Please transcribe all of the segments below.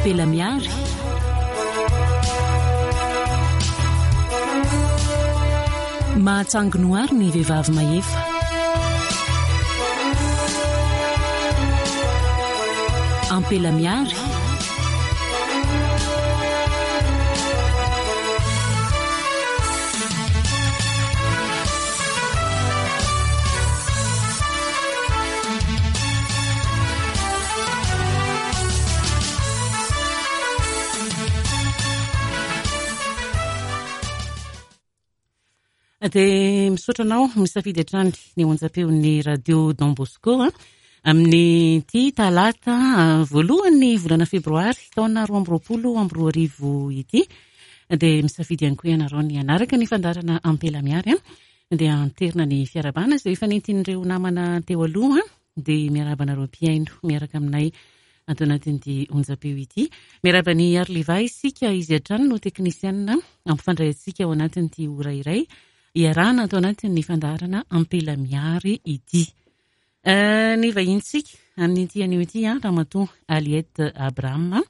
Ampela Miary. Mahatsangy noary ny vehivavy mahefa. Ampela Miary. Dia misaotra anao misafidy hatrany ny onjam-peon'ny radio Don Bosco amin'ity talata voalohan'ny volana febroary taona 2022 ity. Dia misafidy ihany koa ianareo ny hanaraka ny fandaharana Ampela Miary. Dia anterina ny fiarahabana izay efa nentin'ireo namana teo aloha. Dia miarahaba anareo mpihaino miaraka aminay ato anatin'ity onjam-peo ity. Miarahaba an'i Arliva isika, izy hatrany no teknisianina hampifandray antsika ao anatin'ity ora iray iarahana ato anatin'ny fandaharana Ampela Miary ity. Ny vahintsika amin'ity anio ity, Ramatoa Aliette Abraham,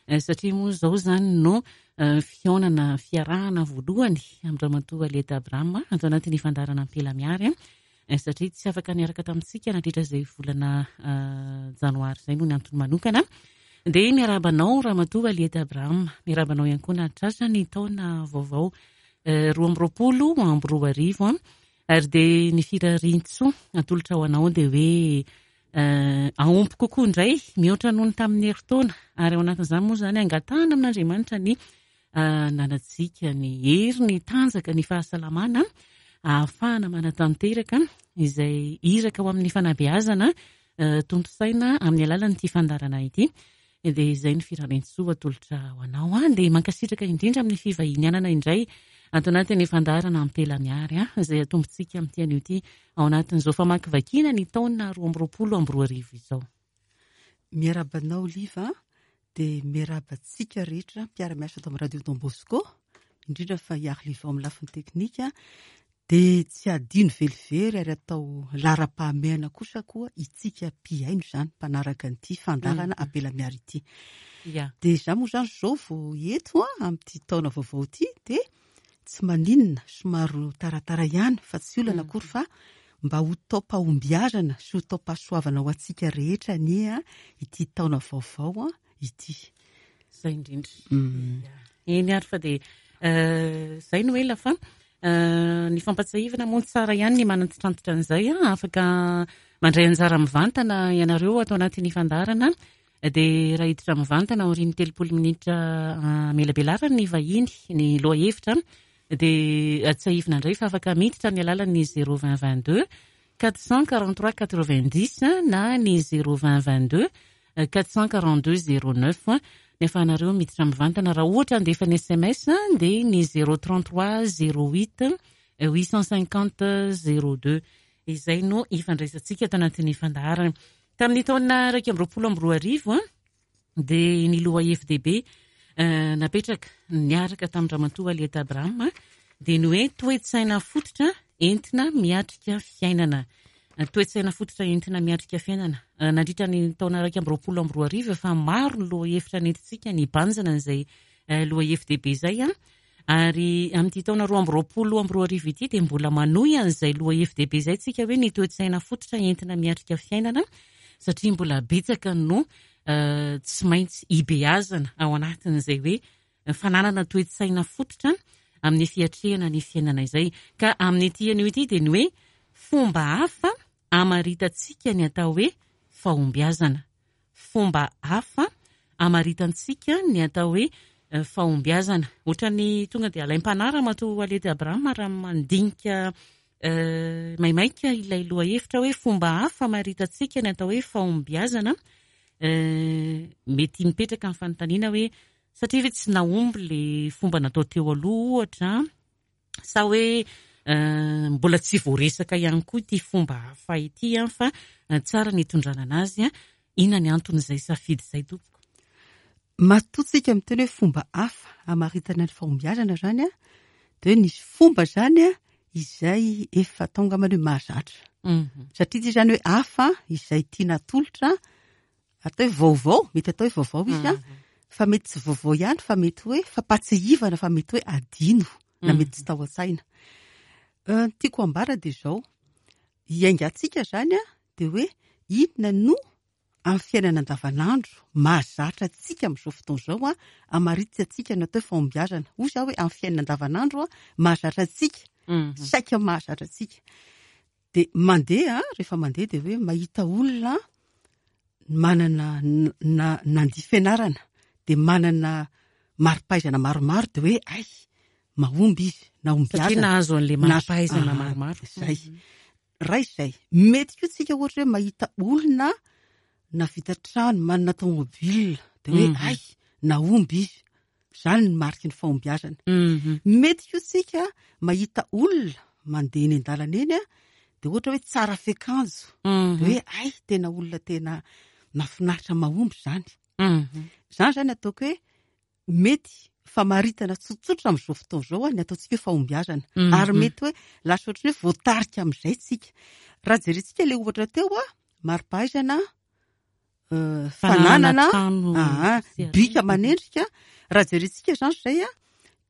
satria moa izao izany no fihaonana fiarahana voalohany amin-dRamatoa Aliette Abraham ato anatin'ny fandaharana Ampela Miary. satria tsy afaka niaraka tamintsika nandritra izay volana janoary izay noho ny antony manokana. Dia miarahaba anao Ramatoa Aliette Abraham, miarahaba anao ihany koa nahatratra ny taona vaovao 2022 ary dia ny firarian-tsoa atolotra ho anao dia hoe ahomby kokoa indray mihoatra noho ny tamin'ny herintaona ary ao anatin'izany moa izany angatahana amin'Andriamanitra ny ananantsika ny hery, ny tanjaka, ny fahasalamana ahafahana manatanteraka izay iraka ho amin'ny fanabeazana tontosaina amin'ny alalan'ity fandaharana ity. Dia izay ny firarian-tsoa atolotra ho anao. Dia mankasitraka indrindra amin'ny fivahinianana indray ato anatin'ny fandaharana Ampela Miary izay atombontsika amin'ity anio ity ao anatin'izao famakivakiana ny taona 2022 izao. Miarahaba anao Liva dia miarahaba antsika rehetra mpiara-miasa ato amin'ny Radio Don Bosco, indrindra fa i Arliva amin'ny lafiny teknika, dia tsy adino velively ary atao laharam-pahamehana kosa koa itsika mpihaino izany, mpanaraka an'ity fandaharana Ampela Miary ity. Dia izaho moa izany izao vao eto amin'ity taona vaovao ity dia tsy maninona, somary taratara ihany fa tsy olana akory fa mba ho taom-pahombiazana sy ho taom-pahasoavana ho antsika rehetra anie ity taona vaovao ity. Izay indrindra. Eny ary fa dia izay no ela fa ny fampatsiahivana moa tsara ihany ny manantitrantitra an'izay, afaka mandray anjara mivantana ianareo ato anatin'ny fandaharana Dia raha hiditra mivantana aorian'ny 30 minitra hamelabelarany ny vahiny ny lohahevitra dia tsiahivina indray fa afaka miditra amin'ny alalan'ny 0 20 22 443 90 na ny 0 20 22 442 09 ny afahanareo miditra mivantana. Raha ohatra handefa ny sms dia ny 033 08 850 02 izay no ifandraisantsika ato anatin'ny fandaharana. Tamin'ny taona 2021 dia ny lohahevi-dehibe napetraka niaraka tamin-dRamatoa Aliette Abraham dia ny hoe toe-tsaina fototra entina miatrika fiainana. Toe-tsaina fototra entina miatrika fiainana. Nandritra ny taona 2021 efa maro ny lohahevitra nentintsika nibanjina an'izay lohahevi-dehibe izay. Ary amin'ity taona 2022 ity dia mbola manohy an'izay lohahevi-dehibe izay tsika hoe ny toe-tsaina fototra entina miatrika fiainana satria mbola betsaka no tsy maintsy ibeazana ao anatin'izay hoe fananana toe-tsaina fototra amin'ny fiatrehana ny fiainana izay. Ka amin'ity anio ity dia ny hoe fomba hafa hamaritantsika ny atao hoe fahombiazana. fomba hafa hamaritantsika ny atao hoe fahombiazana. Ohatran'ny tonga dia alaim-panahy Ramatoa Waled Abraham raha mandinika maimaika ilay lohahevitra hoe fomba hafa hamaritantsika ny atao hoe fahombiazana. Mety mipetraka ny fanontaniana hoe satria ve tsy nahomby ilay fomba natao teo aloha ohatra sa hoe mbola tsy voaresaka ihany koa ity fomba hafa ity fa tsara ny hitondrana anazy. Inona ny anton'izay safidy izay tompoko? Matoa tsika miteny hoe fomba hafa hamaritana ny fahombiazana izany dia hoe nisy fomba izany izay efa atao angambany hoe mahazatra. Satria ity izany hoe hafa izay tiana atolotra, atao hoe vaovao, mety atao hoe vaovao izy an, Fa mety tsy vaovao ihany fa mety hoe fampahatsiahivana fa mety hoe adino na mety tsy tao an-tsaina. Ny tiako ambara dia izao, hiaingantsika izany dia hoe inona no amin'ny fiainana andavanandro mahazatra antsika amin'izao fotoana izao hamaritsy antsika ny atao hoe fahombiazana. Hoy izaho hoe amin'ny fiainana andavanandro mahazatra antsika, saika mahazatra antsika. Dia mandeha, rehefa mandeha dia hoe mahita olona manana na nandia fianarana dia manana mari-pahaizana maromaro dia hoe ay mahomby izy, nahombiazana. Satria nahazo an'ilay mari-pahaizana maromaro. Izay. Raha izay. Mety koa tsika ohatra hoe mahita olona navita trano, manana tomobile, dia hoe ay nahomby izy. Izany ny mariky ny fahombiazana. Mety koa tsika mahita olona mandeha eny an-dalana eny, dia ohatra hoe tsara fiakanjo, dia hoe ay tena olona tena mahafinaritra mahomby izany. Izany izany ataoko hoe mety famaritana tsotsotra amin'izao fotoana izao ny ataontsika hoe fahombiazana. Ary mety hoe lasa ohatran'ny hoe voatarika amin'izay tsika. Raha jerentsika ilay ohatra teo, mari-pahaizana, fananana, bika manendrika. Raha jerentsika izany izay,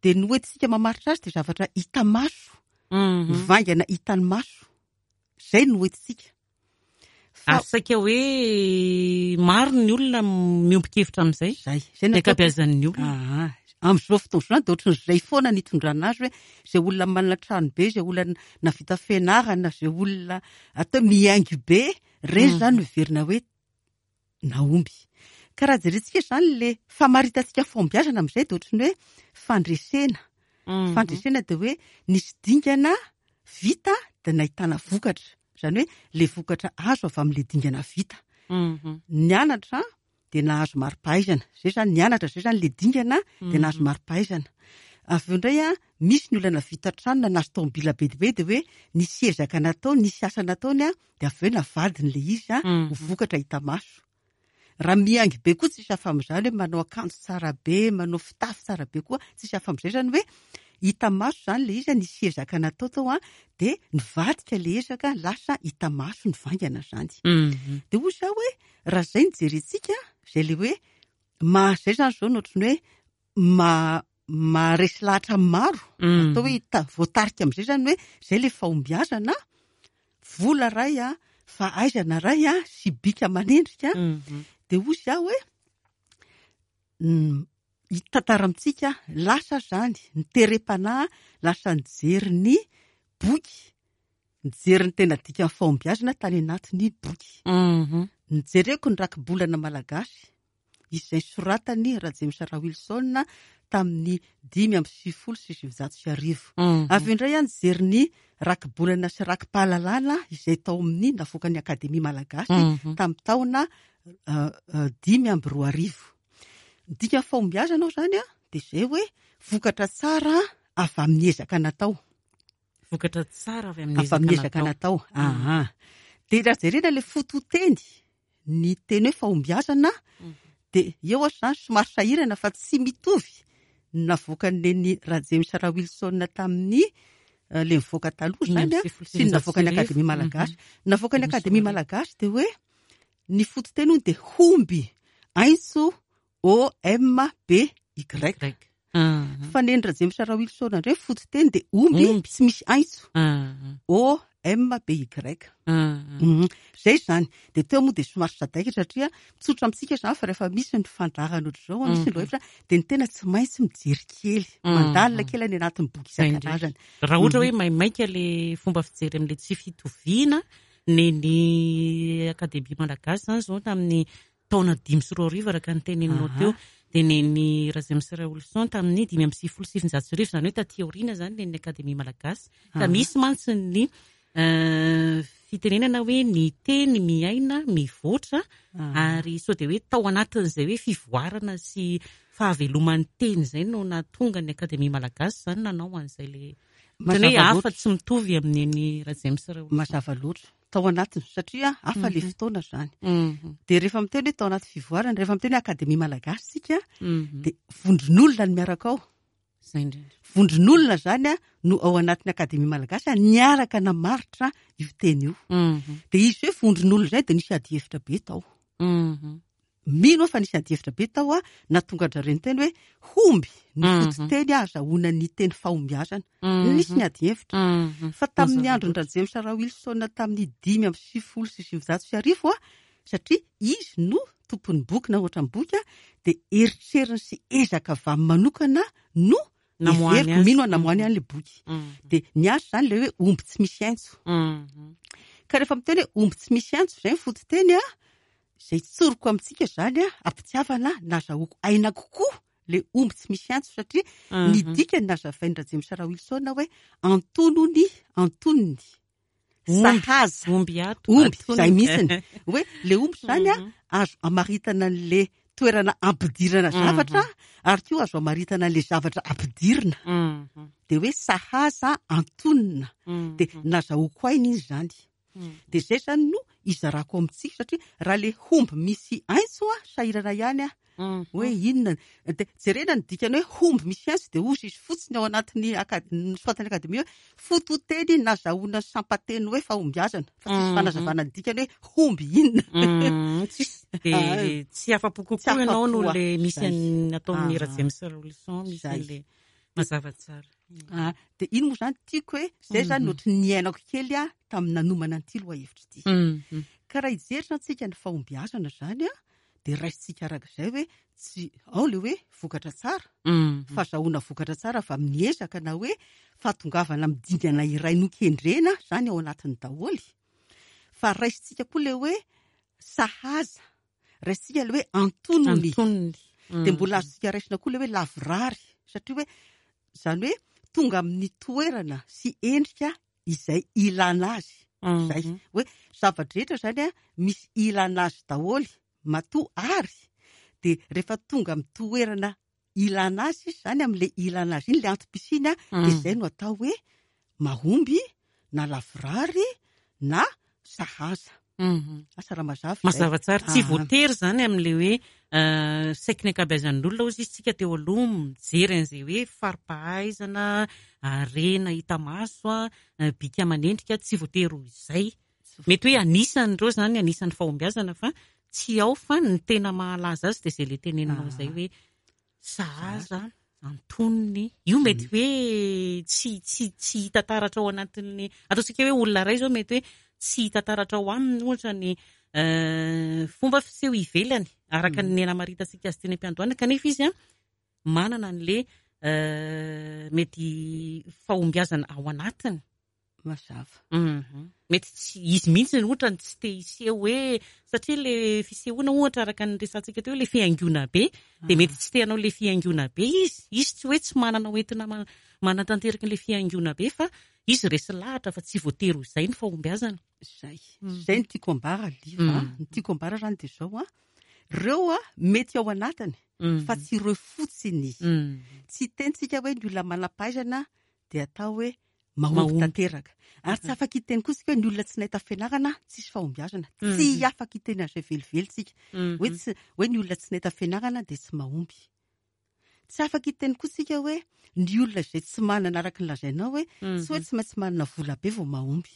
dia ny hoentintsika mamaritra azy dia zavatra hita maso, mivaingana hitan'ny maso. Izay no hoentintsika. Ary saika hoe maro ny olona miombon-kevitra amin'izay. Izay. Izay no Ny ankabeazan'ny olona. Aha. Amin'izao fotoana izao dia ohatran'izay foana ny itondrana azy hoe izay olona manana trano be, izay olona nahavita fianarana, izay olona atao hoe mihaingo be, ireny izany no heverina hoe nahomby. Ka raha jerentsika izany ilay famaritantsika fahombiazana amin'izay dia ohatran'ny hoe fandresena. Fandresena dia hoe nisy dingana vita dia nahitana vokatra. Izany hoe ilay vokatra azo avy amin'ilay dingana vita. Nianatra dia nahazo mari-pahaizana. Izay izany nianatra, izay izany ilay dingana dia nahazo mari-pahaizana. Avy eo indray misy ny olona navita trano na nahazo tomobila be dia be dia hoe nisy ezaka natao, nisy asa nataony dia avy eo navadiny ilay izy ho vokatra hita maso. Raha mihaingo be koa tsisy hafa amin'izany hoe manao akanjo tsara be, manao fitafy tsara be koa, tsisy hafa amin'izay izany hoe hita maso izany ilay izy, nisy ezaka natao tao dia nivadika ilay ezaka, lasa hita maso nivaingana izany. Dia hoy izaho hoe raha izay no jerentsika, izay ilay hoe maha izay izany izao no ohatran'ny hoe maha maharesy lahatra ny maro, atao hoe voatarika amin'izay izany hoe izay ilay fahombiazana, vola iray, fahaizana iray sy bika manendrika, dia hoy izaho hoe hitantara amintsika lasa izany, ny terem-panahy lasa nijery ny boky, nijery ny tena dikan'ny fahombiazana tany anatin'ny boky. Nijereko ny rakibolana malagasy, izay soratan'i Rajames Rawilson tamin'ny 1995. Avy eo indray aho nijery ny rakibolana sy rakipahalalana izay tao amin'ny navoakan'ny Akademia Malagasy tamin'ny taona 2005. Ny dikan'ny fahombiazana ao izany dia izay hoe vokatra tsara avy amin'ny ezaka natao. Vokatra tsara avy amin'ny ezaka natao. Aha. Dia raha jerena ilay fototeny, ny teny hoe fahombiazana, dia eo aho izany somary sahirana fa tsy mitovy ny navoakan'i Neny Rajames Rawilson tamin'ny ilay nivoaka taloha izany sy ny navoakan'ny Akademia Malagasy. Ny navoakan'ny Akademia Malagasy dia hoe ny fototeny hono dia homby, aintso O M B Y. Fa neny Rajames Rawilson indray fototeny dia omby tsy misy aintso. O M B Y. Izay izany. Dia teo moa dia somary sadaikatra satria mitsotra amintsika izany fa rehefa misy ny fandaharana ohatr'izao, misy ny lohahevitra, dia ny tena tsy maintsy mijery kely, mandalina kely any anatin'ny boky isan-karazany. Raha ohatra hoe maimaika ilay fomba fijery amin'ilay tsy fitoviana, neny Akademia Malagasy izany izao tamin'ny taona 2005 araka ny teneninao teo, dia neny Rajames Raolison tamin'ny 1995, izany hoe taty aoriana izany neny Akademia Malagasy. Ka misy mantsy ny fitenenana hoe ny teny miaina mivoatra, ary sao dia hoe tao anatin'izay hoe fivoarana sy fahaveloman'ny teny izay no nahatonga ny Akademia Malagasy izany nanao an'izay le ohatran'ny hoe hafa tsy mitovy amin'ny neny Rajames Raolison. Mazava loatra. Tao anatiny, satria hafa ilay fotoana izany. Dia rehefa miteny hoe tao anaty fivoarana, rehefa miteny hoe Akademia Malagasy isika, dia vondron'olona no miaraka ao. Izay indrindra. Vondron'olona izany no ao anatin'ny Akademia Malagasy niaraka namaritra io teny io. Dia izy hoe vondron'olona izay dia nisy adihevitra be tao. Mino aho fa nisy adihevitra be tao a, nahatonga an-dRareo niteny hoe homby ny fototeny ahazahoana ny teny fahombiazana. Nisy ny adihevitra. Fa tamin'ny andron-dRajames Rawilson tamin'ny 1995 a, satria izy no tompon'ny boky na ohatra ny boky a, dia eritreriny sy ezaka avy aminy manokana no heveriko, mino aho namoahany an'ilay boky. Dia ny azy izany ilay hoe omby tsy misy aintso. Ka rehefa miteny hoe omby tsy misy aintso izay ny fototeny a, Izay tsoriko amintsika izany an, am-pitiavana nazahoako aina kokoa ilay omby tsy misy antso satria ny dikany nazavain'i Rajames Rawilson hoe antonony, antonony, sahaza, Omby ato, omby, antonony. izay mihitsiny. Hoe ilay omby izany an, azo amaritana an'ilay toerana ampidirana zavatra ary koa azo amaritana an'ilay zavatra ampidirina. Dia hoe sahaza, antonona. Dia nazahoako aina izy izany. Dia izay izany no izarako amintsika satria raha ilay homby misy aintso a, sahirana ihany aho. Hoe inona? Dia jerena ny dikany hoe homby misy aintso dia hozy izy fotsiny ao anatin'ny ny soratan'ny akademia hoe fototeny nazahoana sampanteny hoe fahombiazana fa tsisy fanazavana ny dikany hoe homby inona. Tsisy. Dia tsy afa-po kokoa ianao noho ilay misy an'ny nataon'i Rajames Raolison misy an'ilay mazava tsara. Ah, dia iny moa izany tiako hoe izay izany no ohatry ny niainako kely aho tamin'ny nanomana an'ity lohahevitra ity. Ka raha hijery izany tsika ny fahombiazana izany an, dia raisintsika araka izay hoe tsy ao ilay hoe vokatra tsara, fahazahoana vokatra tsara avy amin'ny ezaka na hoe fahatongavana amin'ny dingana iray nokendrena izany ao anatiny daholo. Fa raisintsika koa ilay hoe sahaza, raisintsika ilay hoe antonony. Antonony. Dia mbola azontsika raisina koa ilay hoe lavorary, satria hoe izany hoe tonga amin'ny toerana sy endrika izay ilana azy. Izay. Hoe zava-drehetra izany an, misy ilana azy daholo, matoa ary dia rehefa tonga amin'ny toerana ilana azy izy izany, amin'ilay ilana azy iny, ilay antom-pisiany an, dia izay no atao hoe mahomby na lavorary na sahaza. Asa raha mazava izay. Mazava tsara. Tsy voatery izany amin'ilay hoe saiky ny ankabeazan'ny olona hozy izy tsika teo aloha mijery an'izay hoe fari-pahaizana, harena hita maso, bika aman'endrika, tsy voatery ho izay. Mety hoe anisan'ireo izany, anisan'ny fahombiazana fa tsy ao fa ny tena mahalaza azy dia izay ilay teneninao izay hoe sahaza, antonony. Io mety hoe tsy, tsy, tsy hita taratra ao anatin'ny, ataontsika hoe olona iray izao mety hoe tsy hita taratra ao aminy ohatra ny fomba fiseho ivelany araka ny namaritantsika azy teny am-piandohana kanefa izy an manana an'ilay mety fahombiazana ao anatiny. Mazava. Mety tsy izy mihitsy ohatra no tsy te hiseho hoe satria le fisehoana ohatra araka ny resahantsika teo le fihaingoana be dia mety tsy te hanao le fihaingoana be izy. Izy tsy hoe tsy manana ho entina manatanteraka an'ilay fihaingoana be fa izy resy lahatra fa tsy voatery ho izay ny fahombiazana. Izay. Izay no tiako ambara Liva a. Ny tiako ambara izany dia izao a. Ireo a mety ao anatiny fa tsy ireo fotsiny. Tsy hitentsika hoe ny olona manam-pahaizana dia atao hoe mahomby tanteraka. Ary tsy afaka hiteny koa isika hoe ny olona tsy nahita fianarana tsisy fahombiazana. Tsy afaka hiteny an'izay velively isika. Hoe tsy, hoe ny olona tsy nahita fianarana dia tsy mahomby. Tsy afaka hiteny koa isika hoe ny olona izay tsy manana araka ny lazainao hoe tsy hoe tsy maintsy manana vola be vao mahomby.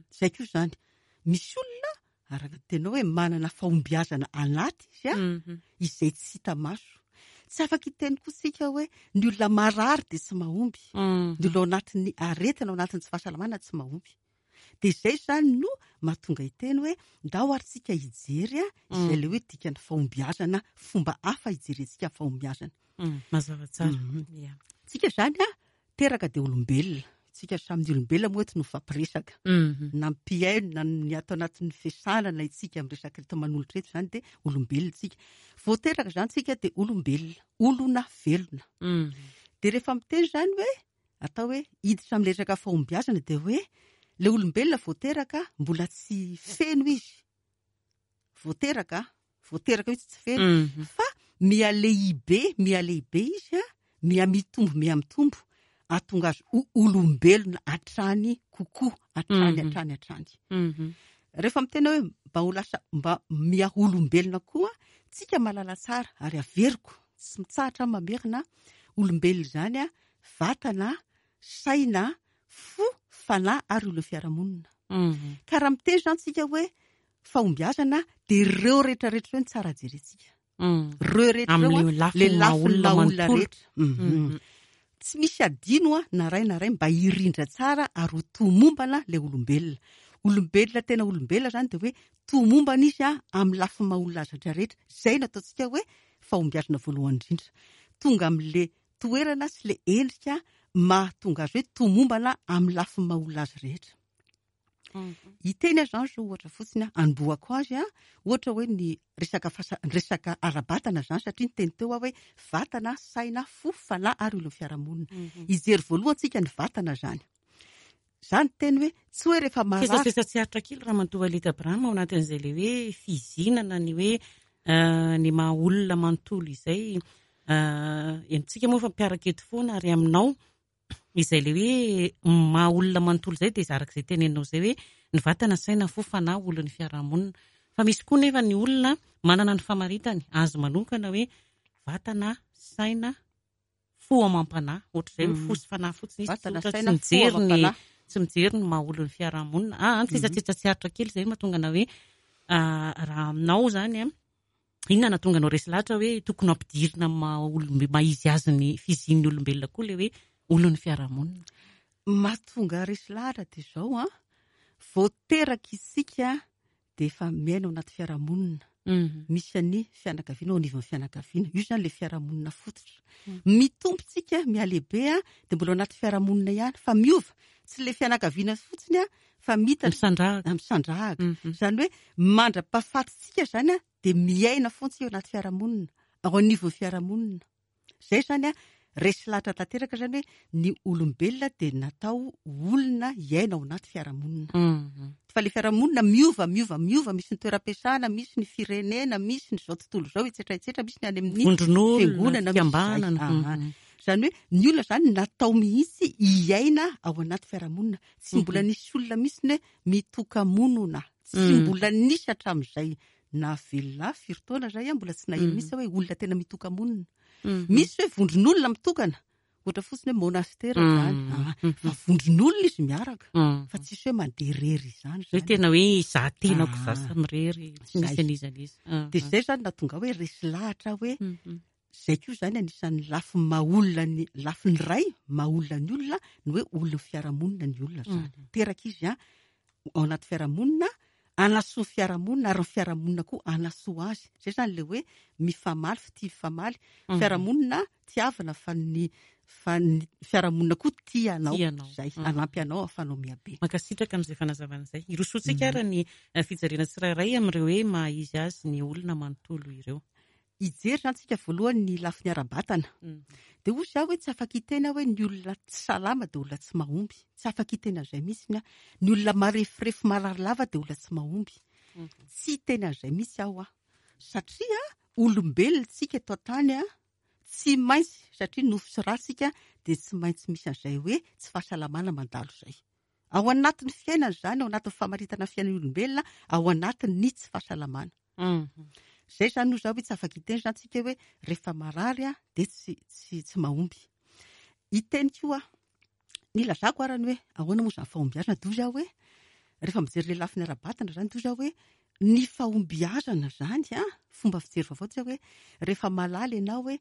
Izay koa izany. Misy olona araka ny tenao hoe manana fahombiazana anaty izy a, izay tsy hita maso. Tsy afaka hiteny koa isika hoe ny olona marary dia tsy mahomby, ny olona ao anatin'ny aretina, ao anatin'ny tsy fahasalamana tsy mahomby. Dia izay izany no mahatonga hiteny hoe ndao ary tsika hijery izay ilay hoe dikan'ny fahombiazana, fomba hafa hijerentsika ny fahombiazana. Mazava tsara. Tsika izany a, teraka dia olombelona. Tsika samy ny olombelona moa eto no mifampiresaka. Na mpihaino na ny ato anatin'ny fiasana na itsika miresaka eto manolotra eto izany dia olombelona tsika. Vao teraka izany tsika dia olombelona, olona velona. Dia rehefa miteny izany hoe atao hoe hiditra amin'ny resaka fahombiazana dia hoe ilay olombelona vao teraka mbola tsy feno izy. Vao teraka, vao teraka mihitsy tsy feno. Fa mihalehibe, mihalehibe izy a, mihamitombo, mihamitombo, ahatonga azy ho olombelona hatrany kokoa, hatrany, hatrany, hatrany. Rehefa miteny hoe mba ho lasa, mba miha olombelona koa, tsika mahalala tsara, ary averiko, tsy mitsahatra aho mamerina, olombelona izany a, vatana, saina, fo, fanahy ary olon'ny fiarahamonina. Ka raha miteny izany tsika hoe. fahombiazana dia ireo rehetra rehetra ireo no tsara jerentsika. Ireo rehetra ireo Amin'ilay lafiny le maha lafiny olona maha olona manontolo. rehetra. Tsy misy adino na ray na ray mba hirindra tsara ary ho tomombana ilay olombelona. Olombelona tena olombelona izany dia hoe tomombana izy amin'ny lafiny maha olona azy rehetra rehetra. Izay no ataontsika hoe fahombiazana voalohany indrindra. Tonga amin'ilay toerana sy ilay endrika mahatonga azy hoe tomombana amin'ny lafiny maha olona azy rehetra. Hiteny aho izany izao ohatra fotsiny aho, anombohako azy aho, ohatra hoe ny resaka fasa-, ny resaka ara-batana izany satria niteny teo aho hoe vatana, saina, fo, fanahy ary olon'ny fiarahamonina. Hijery voalohany tsika ny vatana izany. Za niteny hoe tsy hoe rehefa marary. Sesasesa tsy aritra kely Ramatoa Alita Abraham ao anatin'izay ilay hoe fizinana ny hoe ny maha olona manontolo izay. Henontsika moa fa mpiaraka eto foana ary aminao izay ilay hoe maha olona manontolo izay dia araka izay teneninao izay hoe ny vatana, saina, fo, fanahy, olon'ny fiarahamonina. Fa misy koa nefa ny olona manana ny famaritany azy manokana hoe vatana, saina, fo amam-panahy. Ohatr'izay hoe fo sy fanahy fotsiny izy, Vatana, tsotra, tsy saina, fo mijery ny amam-panahy. tsy mijery ny maha olon'ny fiarahamonina. Tsetsatsetsa tsy aritra kely izay mahatonga anao hoe raha aminao izany an, inona no nahatonga anao resy lahatra hoe tokony hampidirina amin'ny maha olombe-, maha izy azy ny fizian'ny olombelona koa ilay hoe olon'ny fiarahamonina? Mahatonga resy lahatra dia izao an, vao teraka isika dia efa miaina ao anaty fiarahamonina. Misy an'ny fianakaviana ao anivon'ny fianakaviana. Io izany ilay fiarahamonina fototra. Mitombo tsika, mihalehibe an, dia mbola ao anaty fiarahamonina ihany fa miova. Tsy ilay fianakaviana fotsiny an, fa mitatra. Misandrahaka. Misandrahaka. Izany hoe mandra-pahafatintsika izany an, dia miaina foana tsika ao anaty fiarahamonina, ao anivon'ny fiarahamonina. Izay izany an, resy lahatra tanteraka izany hoe ny olombelona dia natao olona hiaina ao anaty fiarahamonina. Fa ilay fiarahamonina miova, miova, miova, misy ny toeram-piasana, misy ny firenena, misy ny izao tontolo izao, etsetra, etsetra, misy ny any amin'ny Vondron'olona, fiangonana, misy izay. fikambanana. Izany hoe ny olona izany natao mihitsy hiaina ao anaty fiarahamonina. Tsy mbola nisy olona mihitsy ny hoe mitoka-monina. Tsy mbola nisy hatramin'izay na velona firy taona izay aho mbola tsy naheno mihitsy hoe olona tena mitoka-monina. Misy hoe vondron'olona mitokana, ohatra fotsiny hoe monastera izany. Fa vondron'olona izy miaraka, fa tsisy hoe mandeha irery izany Hoe izany. tena hoe izaho tenako izaho samirery, tsy misy an'iza n'iza. Dia izay izany nahatonga hoe resy lahatra hoe izay koa izany anisan'ny lafiny maha olona ny, lafiny iray maha olona ny olona, ny hoe olon'ny fiarahamonina ny olona izany. Teraka izy an, ao anaty fiarahamonina, hanasoa ny fiarahamonina ary ny fiarahamonina koa hanasoa azy. Izay izany ilay hoe mifamaly, fitia mifamaly. Fiarahamonina tiavina fa ny, fa ny fiarahamonina koa tia anao. Tia anao. Izay, hanampy anao ahafahanao mihabe. Mankasitraka amin'izay fanazavana izay. Hirosoantsika ary ny fijerena tsirairay amin'ireo hoe maha izy azy ny olona manontolo ireo. Hijery izany tsika voalohany ny lafiny ara-batana. Dia hoy izaho hoe tsy afaka hiteny aho hoe ny olona tsy salama dia olona tsy mahomby. Tsy afaka hiteny an'izay mihitsy aho. Ny olona mareforefo marary lava dia olona tsy mahomby. Tsy hiteny an'izay mihitsy aho aho. Satria olombelona tsika eto an-tany an, tsy maintsy, satria nofo sy ra tsika, dia tsy maintsy misy an'izay hoe tsy fahasalamana mandalo izay. Ao anatin'ny fiainana izany, ao anatin'ny famaritana ny fiainan'ny olombelona, ao anatin'ny tsy fahasalamana. Izay izany hoy izaho hoe tsy afaka hiteny izany tsika hoe rehefa marary aho dia tsy mahomby. Hiteny koa aho, nilazako ara ny hoe ahoana moa izany fahombiazana, dia hoy izaho hoe rehefa mijery ilay lafiny ara-batana izany, dia hoy izaho hoe ny fahombiazana izany an, fomba fijery vaovao dia hoe rehefa malala ianao hoe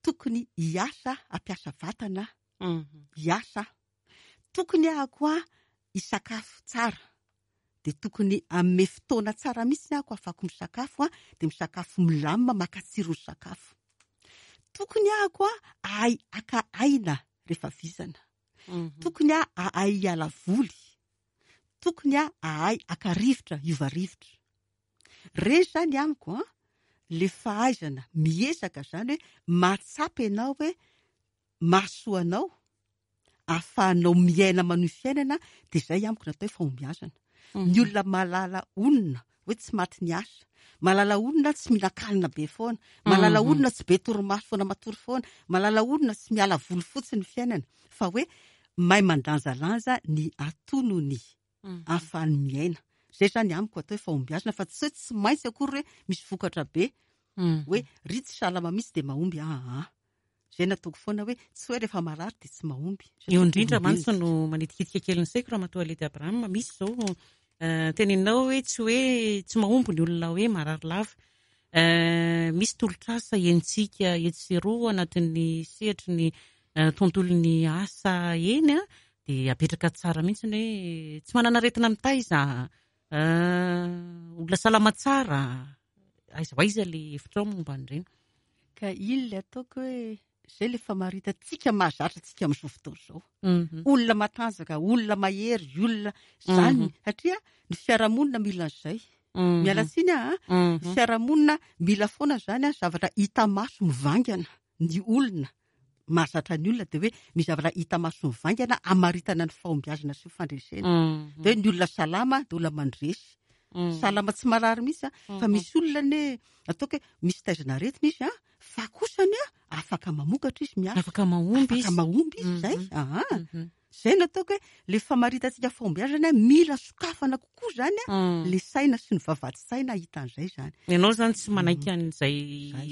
tokony hiasa, hampiasa vatana, hiasa. Tokony aho koa hisakafo tsara, dia tokony hanome fotoana tsara mihitsy aho ahafahako misakafo, dia misakafo milamina, maka tsiro ny sakafo. Tokony aho koa hahay haka aina rehefa vizana. Tokony aho hahay hiala voly. Tokony aho hahay haka rivotra, hiova rivotra. Ireny izany amiko an, ilay fahaizana miezaka izany hoe mahatsapa ianao hoe mahasoa anao, ahafahanao miaina manohy fiainana, dia izay amiko no atao hoe fahombiazana. Ny olona mahalala onona hoe tsy maty ny asa, mahalala onona tsy mihinan-kanina be foana, mahalala onona tsy be torimaso foana matory foana, mahalala onona tsy miala voly fotsiny ny fiainana, fa hoe mahay mandanjalanja ny atonony ahafahany miaina. Izay izany amiko atao hoe fahombiazana, fa tsy hoe tsy maintsy akory hoe misy vokatra be, hoe ry tsy salama mihitsy dia mahomby, aa. Izay nataoko foana hoe tsy hoe rehefa marary dia tsy mahomby. Eo indrindra mantsy no manitikitika kely ny saiko Ramatoa Ledy Abraham, misy izao Teneninao hoe tsy hoe tsy mahomby ny olona hoe marary lava. Misy tolotr'asa henontsika etsy sy eroa anatin'ny sehatry ny tontolon'ny asa eny dia apetraka tsara mihitsy ny hoe tsy manana aretina mitaiza, olona salama tsara. Aiza ho aiza ilay hevitrao momba an'ireny? Ka iny ilay ataoko hoe izay ilay famaritantsika mahazatra antsika amin'izao fotoana izao. Olona matanjaka, olona mahery, olona izany satria ny fiarahamonina mila an'izay. Miala tsiny aho a, ny fiarahamonina mila foana izany a, zavatra hita maso mivaingana ny olona. Mahazatra ny olona dia hoe misy zavatra hita maso mivaingana hamaritana ny fahombiazana sy ny fandresena. Dia hoe ny olona salama dia olona mandresy. Salama tsy marary mihitsy a, fa misy olona anie ataoko hoe misy taizana aretina izy a, fa kosany a afaka mamokatra izy miasa. Afaka mahomby izy. Afaka mahomby izy izay. Aha. Izay no ataoko hoe le famaritantsika fahombiazana mila sokafana kokoa izany a, le saina sy ny vavahadin-tsaina hahita an'izay izany. Ianao izany tsy manaiky an'izay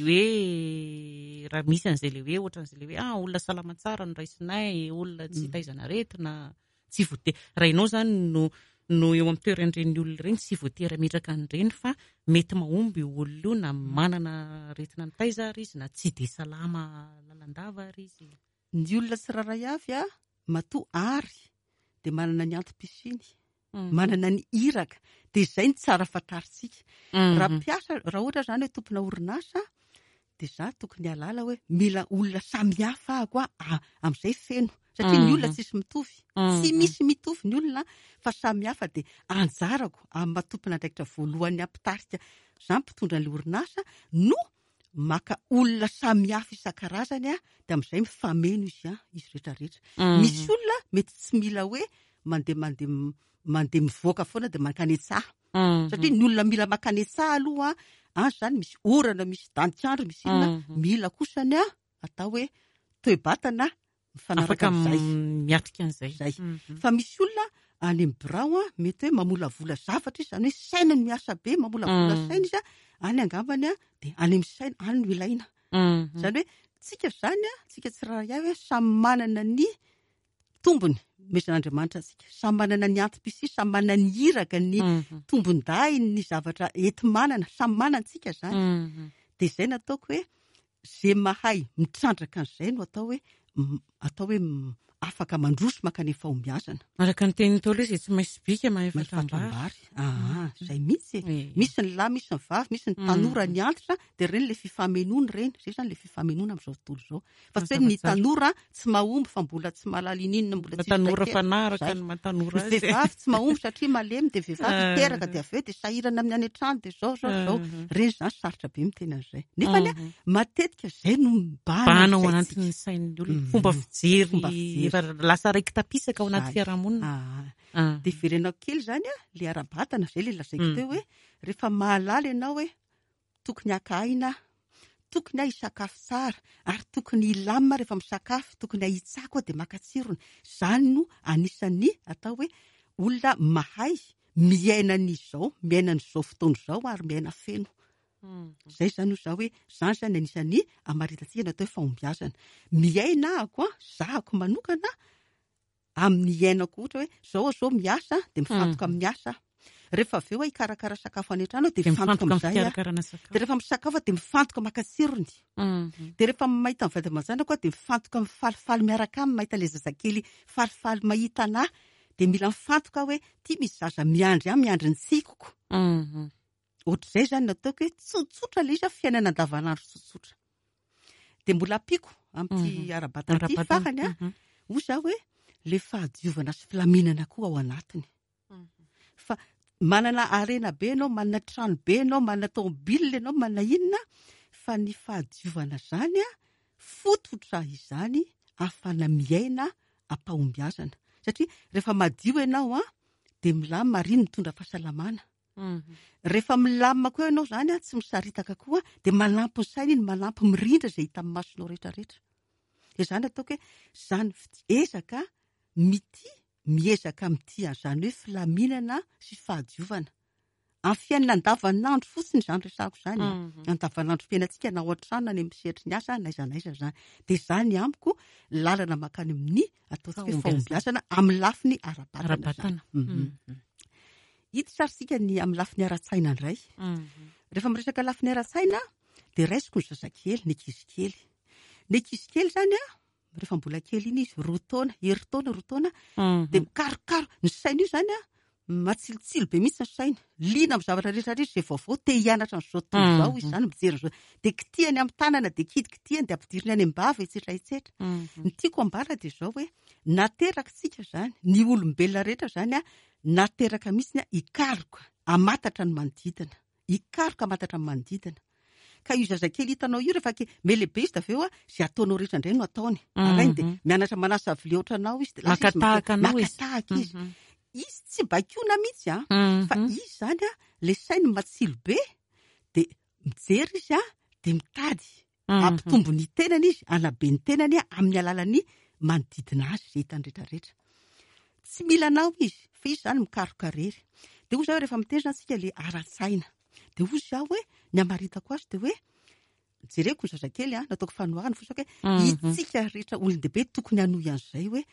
hoe raha misy an'izay le hoe ohatran'izay le hoe ah olona salama tsara no raisinay, olona tsy taizana aretina, tsy voatery, raha ianao izany no no eo amin'ny toeran'ireny olona ireny tsy voatery hametraka an'ireny fa mety mahomby io olona io na manana aretina mitaiza ary izy na tsy dia salama lalandava ary izy. Ny olona tsirairay avy a, matoa ary dia manana ny antom-pisiany, manana ny iraka, dia izay no tsara fantarintsika. Raha mpiasa, raha ohatra izany hoe tompona orinasa, dia za tokony hahalala hoe mila olona samihafa aho a, amin'izay feno. Satria ny olona tsisy mitovy, tsy misy mitovy ny olona fa samihafa dia anjarako amin'ny maha tompon'andraikitra voalohany hampitarika za mpitondra an'ilay orinasa no maka olona samihafa isan-karazany a, dia amin'izay mifameno izy a, izy rehetra rehetra. Misy olona mety tsy mila hoe mandeha mandeha mandeha mivoaka foana dia mankany an-tsaha. Satria ny olona mila mankany an-tsaha aloha any izany misy orana, misy danik'andro, misy inona, mila kosany a, atao hoe toe-batana mifanaraka Afaka amin'izay. miatrika an'izay. Izay. Fa misy olona any amin'ny birao a, mety hoe mamolavola zavatra izy, izany hoe saina no miasa be, mamolavola saina izy a, any angambany a, dia any amin'ny saina, any no ilaina. Izany hoe tsika izany a, tsika tsirairay avy a, samy manana ny tombony omezan'Andriamanitra antsika, samy manana ny antom-pisia, samy manana ny iraka, ny tombon-dahiny, ny zavatra enti-manana, samy manana antsika izany. Dia izay no ataoko hoe Ze mahay mitrandraka an'izay no atao hoe atao hoe afaka mandroso mankany amin'ny fahombiazana. Araka ny tenin'ny Ntaolo hoe izay tsy mahay sobika mahay Mahay fatram-bary. fatram-bary. Aa, izay mihitsy e. Misy ny lahy, misy ny vavy, misy ny tanora, ny antitra, dia ireny ilay fifamenoana ireny. Izay izany ilay fifamenoana amin'izao tontolo izao. Fa tsy hoe ny Mazava tsara. tanora tsy mahomby fa mbola tsy mahalala ininona, mbola tsisy Tanora traikefa. fanahy araka Izay. ny maha tanora Ny azy. vehivavy tsy mahomby satria malemy, dia vehivavy hiteraka, dia avy eo dia sahirana amin'ny any an-trano, dia izao, izao, izao. Ireny izany sarotra be miteny an'izay. Nefa anie matetika izay no mibahana Bahana ao amin'ny saintsika. anatin'ny sain'ny olona. Fomba fijery Fomba fijery. efa lasa raiki-tapisaka ao anaty Izay. fiarahamonina. Ah. Dia verenako kely izany a, ilay ara-batana, izay ilay lazaiko teo hoe rehefa mahalala ianao hoe tokony haka aina aho, tokony aho hisakafo tsara, ary tokony hilamina rehefa misakafo, tokony hahitsako aho dia maka tsirony. Izany no anisan'ny atao hoe olona mahay miaina an'izao, miaina an'izao fotoana izao ary miaina feno. Izay izany hoy izaho hoe izany izany anisan'ny hamaritantsika ny atao hoe fahombiazana. Miaina ahako an, zahako manokana amin'ny iainako ohatra hoe zao aho zao miasa dia mifantoka amin'ny asa aho. Rehefa avy eo aho hikarakara sakafo any an-trano dia Dia mifantoka mifantoka amin'ny amin'izay aho. fikarakarana sakafo. Dia rehefa misakafo aho dia mifantoka maka tsirony. Dia rehefa mahita ny vady aman-janako aho dia mifantoka mifalifaly miaraka aminy, mahita ilay zazakely falifaly mahita an'ahy. Dia mila mifantoka aho hoe ity misy zaza miandry ahy, miandry ny tsikiko. Ohatr'izay izany no ataoko hoe tsotsotra ilay izy, fiainana andavanandro tsotsotra. Dia mbola ampiako amin'ity ara-batana ity farany a, hoy izaho hoe ilay fahadiovana sy filaminana koa ao anatiny. Fa manana harena be ianao, manana trano be ianao, manana tomobile ianao, manana inona, fa ny fahadiovana izany a, fototra izany ahafahana miaina am-pahombiazana. Satria rehefa madio ianao a, dia milamina ary iny mitondra fahasalamana. Rehefa milamina koa ianao izany an, tsy misaritaka koa, dia manampy ny saina iny, manampy mirindra izay hita amin'ny masonao rehetra rehetra. Dia izany ataoko hoe izany ezaka mitia, miezaka mitia an'izany hoe filaminana sy fahadiovana. Amin'ny fiainana andavanandro fotsiny izany resahako izany an. Andavanandrom-piainantsika na ao an-trano na any amin'ny sehatry ny asa na aiza na aiza izany. Dia izany amiko lalana mankany amin'ny ataontsika hoe fahombiazana amin'ny lafiny ara-batana izany. Ara-batana. Hiditra ary isika ny amin'ny lafiny ara-tsaina indray. Rehefa miresaka lafiny ara-tsaina dia raisiko ny zazakely, ny ankizy kely. Ny ankizy kely izany an, rehefa mbola kely iny izy, roa taona, herintaona, roa taona, dia mikarokaroka. Ny saina io izany an, matsilotsilo be mihitsy ny saina. Liana amin'ny zavatra rehetra rehetra izay vaovao, te hianatra an'izao tontolo izao izy izany, mijery an'izao. Dia kitihany amin'ny tanana, dia kitikitihany, dia ampidiriny any am-bava, etsetra etsetra. Ny tiako ambara dia izao hoe, nateraka isika izany, ny olombelona rehetra izany an, nateraka mihitsy hikaroka, hamantatra ny manodidina. Hikaroka hamantatra ny manodidina. Ka io zazakely hitanao io rehefa ke- mihalehibe izy dia avy eo an, izay ataonao rehetra indray no ataony. Alainy dia mianatra manasa vilia ohatranao izy dia lasa Maka izy tahaka anao izy. Maka tahaka izy. Izy tsy baikoana mihitsy an, fa izy izany an, ilay sainy matsilo be dia mijery izy an, dia mitady hampitombo ny tenany izy, hanabe ny tenany amin'ny alalan'ny manodidina azy izay hitany rehetra rehetra. Tsy mila anao izy, fa izy izany mikaroka irery. Dia hoy izaho rehefa miteny izany isika ilay ara-tsaina. Dia hoy izaho hoe, ny hamaritako azy dia hoe, jereko ny zazakely an, nataoko fanoharana fotsiny hoe, isika rehetra olon-dehibe tokony hanohy an'izay hoe,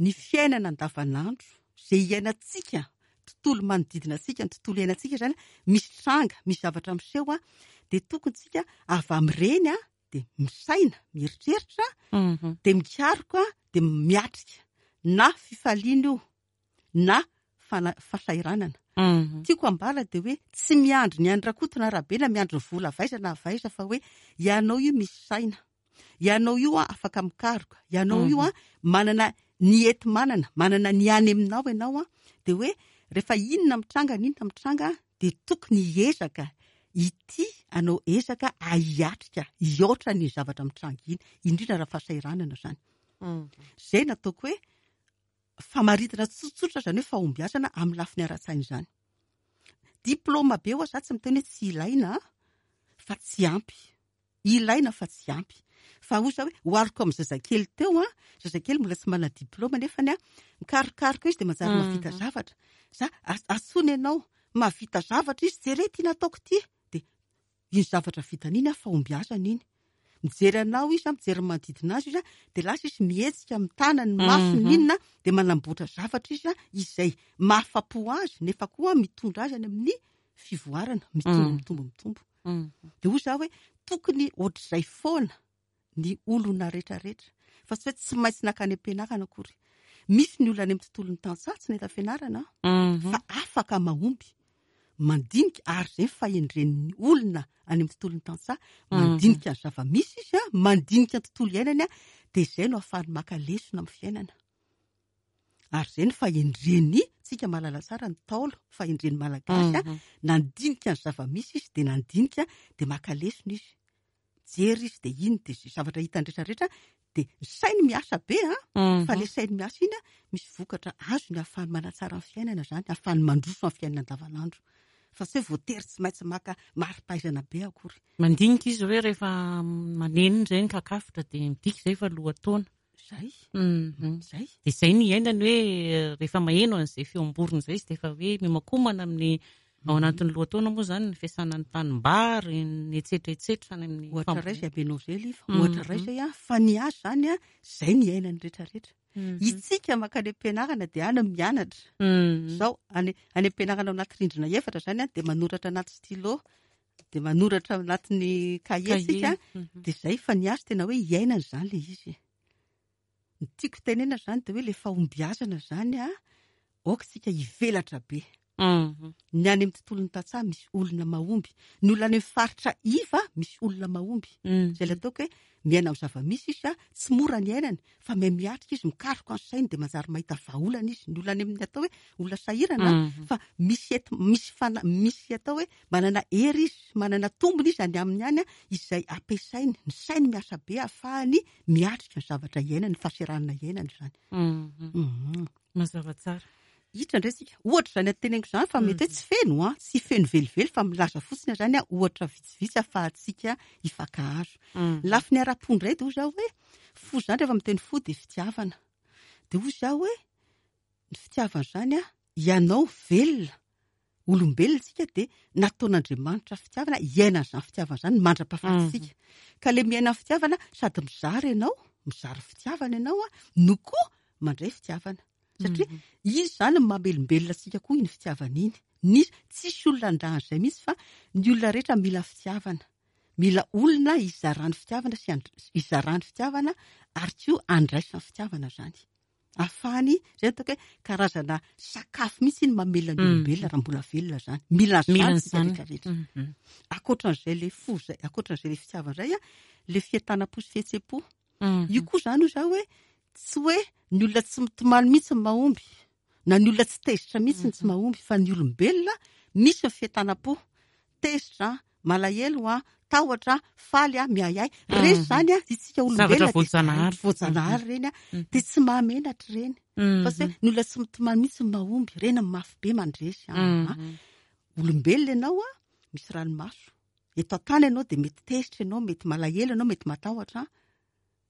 ny fiainana andavanandro, izay iainantsika, tontolo manodidina antsika, ny tontolo iainantsika izany, misy tranga, misy zavatra miseho an, dia tokony tsika avy amin'ireny an, dia misaina, mieritreritra, dia mikaroka, dia miatrika. Na fifaliana io, na fahasahiranana. Tiako ambara dia hoe tsy miandry ny an'i Rakoto na Rabe na miandry ny vola avy aiza na avy aiza fa hoe ianao io misy saina. Ianao io an afaka mikaroka, ianao io an manana ny enti-manana, manana ny any aminao ianao an, dia hoe rehefa inona mitranga n'inona mitranga dia tokony hiezaka ity anao ezaka hiatrika, hiaotra ny zavatra mitranga iny, indrindra raha fahasahiranana izany. Izay no ataoko hoe famaritana tsotsotra izany hoe fahombiazana amin'ny lafiny ara-tsaina izany. Diplaoma be ho'a za tsy miteny hoe tsy ilaina fa tsy ampy. Ilaina fa tsy ampy. Fa hoy za hoe ohariko amin'ny zazakely teo an, zazakely mbola tsy manana diplaoma nefany an, mikarokaroka izy dia manjary mahavita zavatra. Za antsoina ianao, mahavita zavatra izy, jereo ity nataoko ity. Dia iny zavatra vitany iny an, fahombiazana iny. Mijery anao izy an, mijery ny manodidina azy izy an, dia lasa izy mihetsika amin'ny tanany, ny masony, ny inona, dia manamboatra zavatra izy an, izay mahafa-po azy nefa koa mitondra azy any amin'ny fivoarana, mitombo, mitombo, mitombo. Dia hoy za hoe tokony ohatr'izay foana ny olona rehetrarehetra fa tsy hoe tsy maintsy nankany am-pianarana akory. Misy ny olona any amin'ny tontolon'ny tantsaha tsy nahita fianarana fa afaka mahomby, mandinika ary izay ny fahendren'ny olona any amin'ny tontolon'ny tantsaha, mandinika ny zava-misy izy, mandinika ny tontolo iainany dia izay no ahafahany maka lesona amin'ny fiainana. Ary izay ny fahendren'ny, tsika mahalala tsara ny Ntaolo, fahendren'ny Malagasy, nandinika ny zava-misy izy dia nandinika dia maka lesona izy. Mijery izy dia iny dia izay zavatra hitany rehetra rehetra dia ny sainy miasa be an, fa ilay sainy miasa iny an, misy vokatra azony ahafahany manatsara ny fiainana izany, ahafahany mandroso amin'ny fiainana andavanandro. Fa tsy hoe voatery tsy maintsy maka mari-pahaizana be akory. Mandinika izy hoe rehefa maneno indray ny kakafotra dia midika izay fa lohataona. Zay. Zay. Dia izay no iainany hoe rehefa maheno an'izay feom-borona izay izy dia efa hoe miomakomana amin'ny ao anatin'ny lohataona moa izany ny fiasana ny tanimbary, ny etsetra etsetra any amin'ny Ohatra iray izay abenao izay Liva, ohatra iray izay an, fa ny azy izany an, izay no iainany rehetra rehetra. Itsika mankany am-pianarana dia any mianatra. Izao, any any am-pianarana ao anaty rindrina efatra izany an, dia manoratra anaty stylo, dia manoratra ao anatin'ny kahie tsika, dia izay fa ny azy tena hoe iainana izany ilay izy. Ny tiako tenena izany dia hoe ilay fahombiazana izany an, aoka isika hivelatra be. Ny any amin'ny tontolon'ny tantsaha misy olona mahomby. Ny olona any amin'ny faritra iva misy olona mahomby. Izay ilay ataoko hoe miaina amin'ny zava-misy izy an, tsy mora ny iainany fa miha miatrika izy, mikaroka ny sainy dia manjary mahita vahaolana izy. Ny olona any amin'ny atao hoe olona sahirana fa misy ety, misy fana-, misy atao hoe manana hery izy, manana tombony izy any aminy any izay ampiasainy, ny sainy miasa be ahafahany miatrika ny zavatra iainany, ny fahasahiranana iainany izany. Mazava tsara. Hiditra indray isika. Ohatra izany teneniko izany fa mety hoe tsy feno an, tsy feno velively fa milaza fotsiny aho izany an, ohatra vitsivitsy ahafahantsika hifankahazo. Ny lafiny ara-po indray dia hoy izaho hoe, fo izany rehefa miteny fo dia fitiavana. Dia hoy izaho hoe, ny fitiavana izany an, ianao velona, olombelona isika dia nataon'Andriamanitra fitiavana, hiaina an'izany fitiavana izany mandra-pahafatintsika. Ka ilay miaina ny fitiavana, sady mizara ianao, mizara fitiavana ianao an, no koa mandray fitiavana. Satria izy izany no mamelombelona antsika koa iny fitiavana iny. Ny, tsisy olona handà an'izay mihitsy fa ny olona rehetra mila fitiavana. Mila olona hizarany fitiavana sy hizarany fitiavana ary koa handraisany fitiavana izany. Ahafahany, izay no ataoko hoe karazana sakafo mihitsy iny mamelona ny olombelona raha mbola velona izany. Mila an'izany isika rehetra rehetra. Ankoatran'izay ilay fo izay, ankoatran'izay ilay fitiavana izay, ilay fientanam-po sy fihetsem-po. Io koa izany hoy izaho hoe tsy hoe ny olona tsy mitomany mihitsy no mahomby, na ny olona tsy tezitra mihitsy no tsy mahomby, fa ny olombelona misy ny fientanam-po, tezitra, malahelo, tahotra, faly, miahiahy. Ireny izany isika olombelona Zavatra voajanahary. voajanahary ireny, dia tsy mahamenatra ireny. Fa tsy hoe ny olona tsy mitomany mihitsy no mahomby, ireny no mafy be mandresy. Olombelona ianao, misy ranomaso. Eto an-tany ianao dia mety tezitra ianao, mety malahelo ianao, mety matahotra.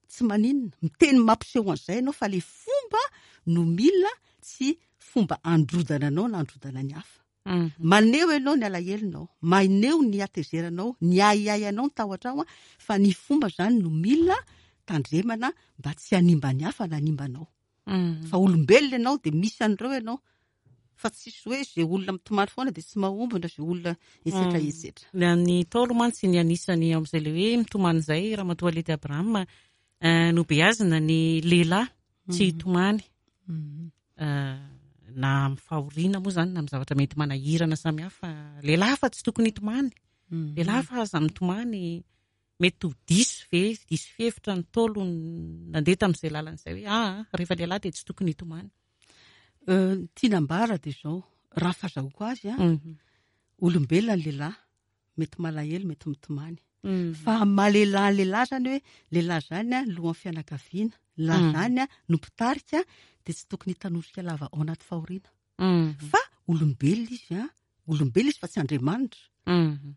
Tsy maninona. Miteny mampiseho an'izay ianao fa ilay fomba no mila tsy fomba handrodana anao na handrodana ny hafa. Maneho ianao ny alahelonao, maneho ny hatezeranao, ny ahiahianao, ny tahotrao, fa ny fomba izany no mila tandremana mba tsy hanimba ny hafa na hanimba anao. Fa olombelona ianao dia misy an'ireo ianao. Fa tsisy hoe izay olona mitomany foana dia tsy mahomby na izay olona etsetra etsetra. Ny an'ny Ntaolo mantsy ny anisany ao amin'izay ilay hoe mitomany izay Ramatoa Lety Abraham nobeazina ny lehilahy tsy hitomany na amin'ny fahoriana moa izany na amin'ny zavatra mety manahirana samihafa. Lehilahy fa tsy tokony hitomany. Lehilahy fa aza mitomany. Mety ho diso ve, diso fihevitra ny Ntaolo nandeha tamin'izay lalana izay hoe aa rehefa lehilahy dia tsy tokony hitomany. Ny tiana ambara dia izao, raha ny fahazahoako azy an, olombelona ny lehilahy, mety malahelo, mety mitomany. Fa amin'ny maha lehilahy ny lehilahy izany hoe, lehilahy izany an, lohan'ny fianakaviana, lehilahy izany an, no mpitarika, dia tsy tokony hitanosika lava ao anaty fahoriana. Fa olombelona izy an, olombelona izy fa tsy Andriamanitra.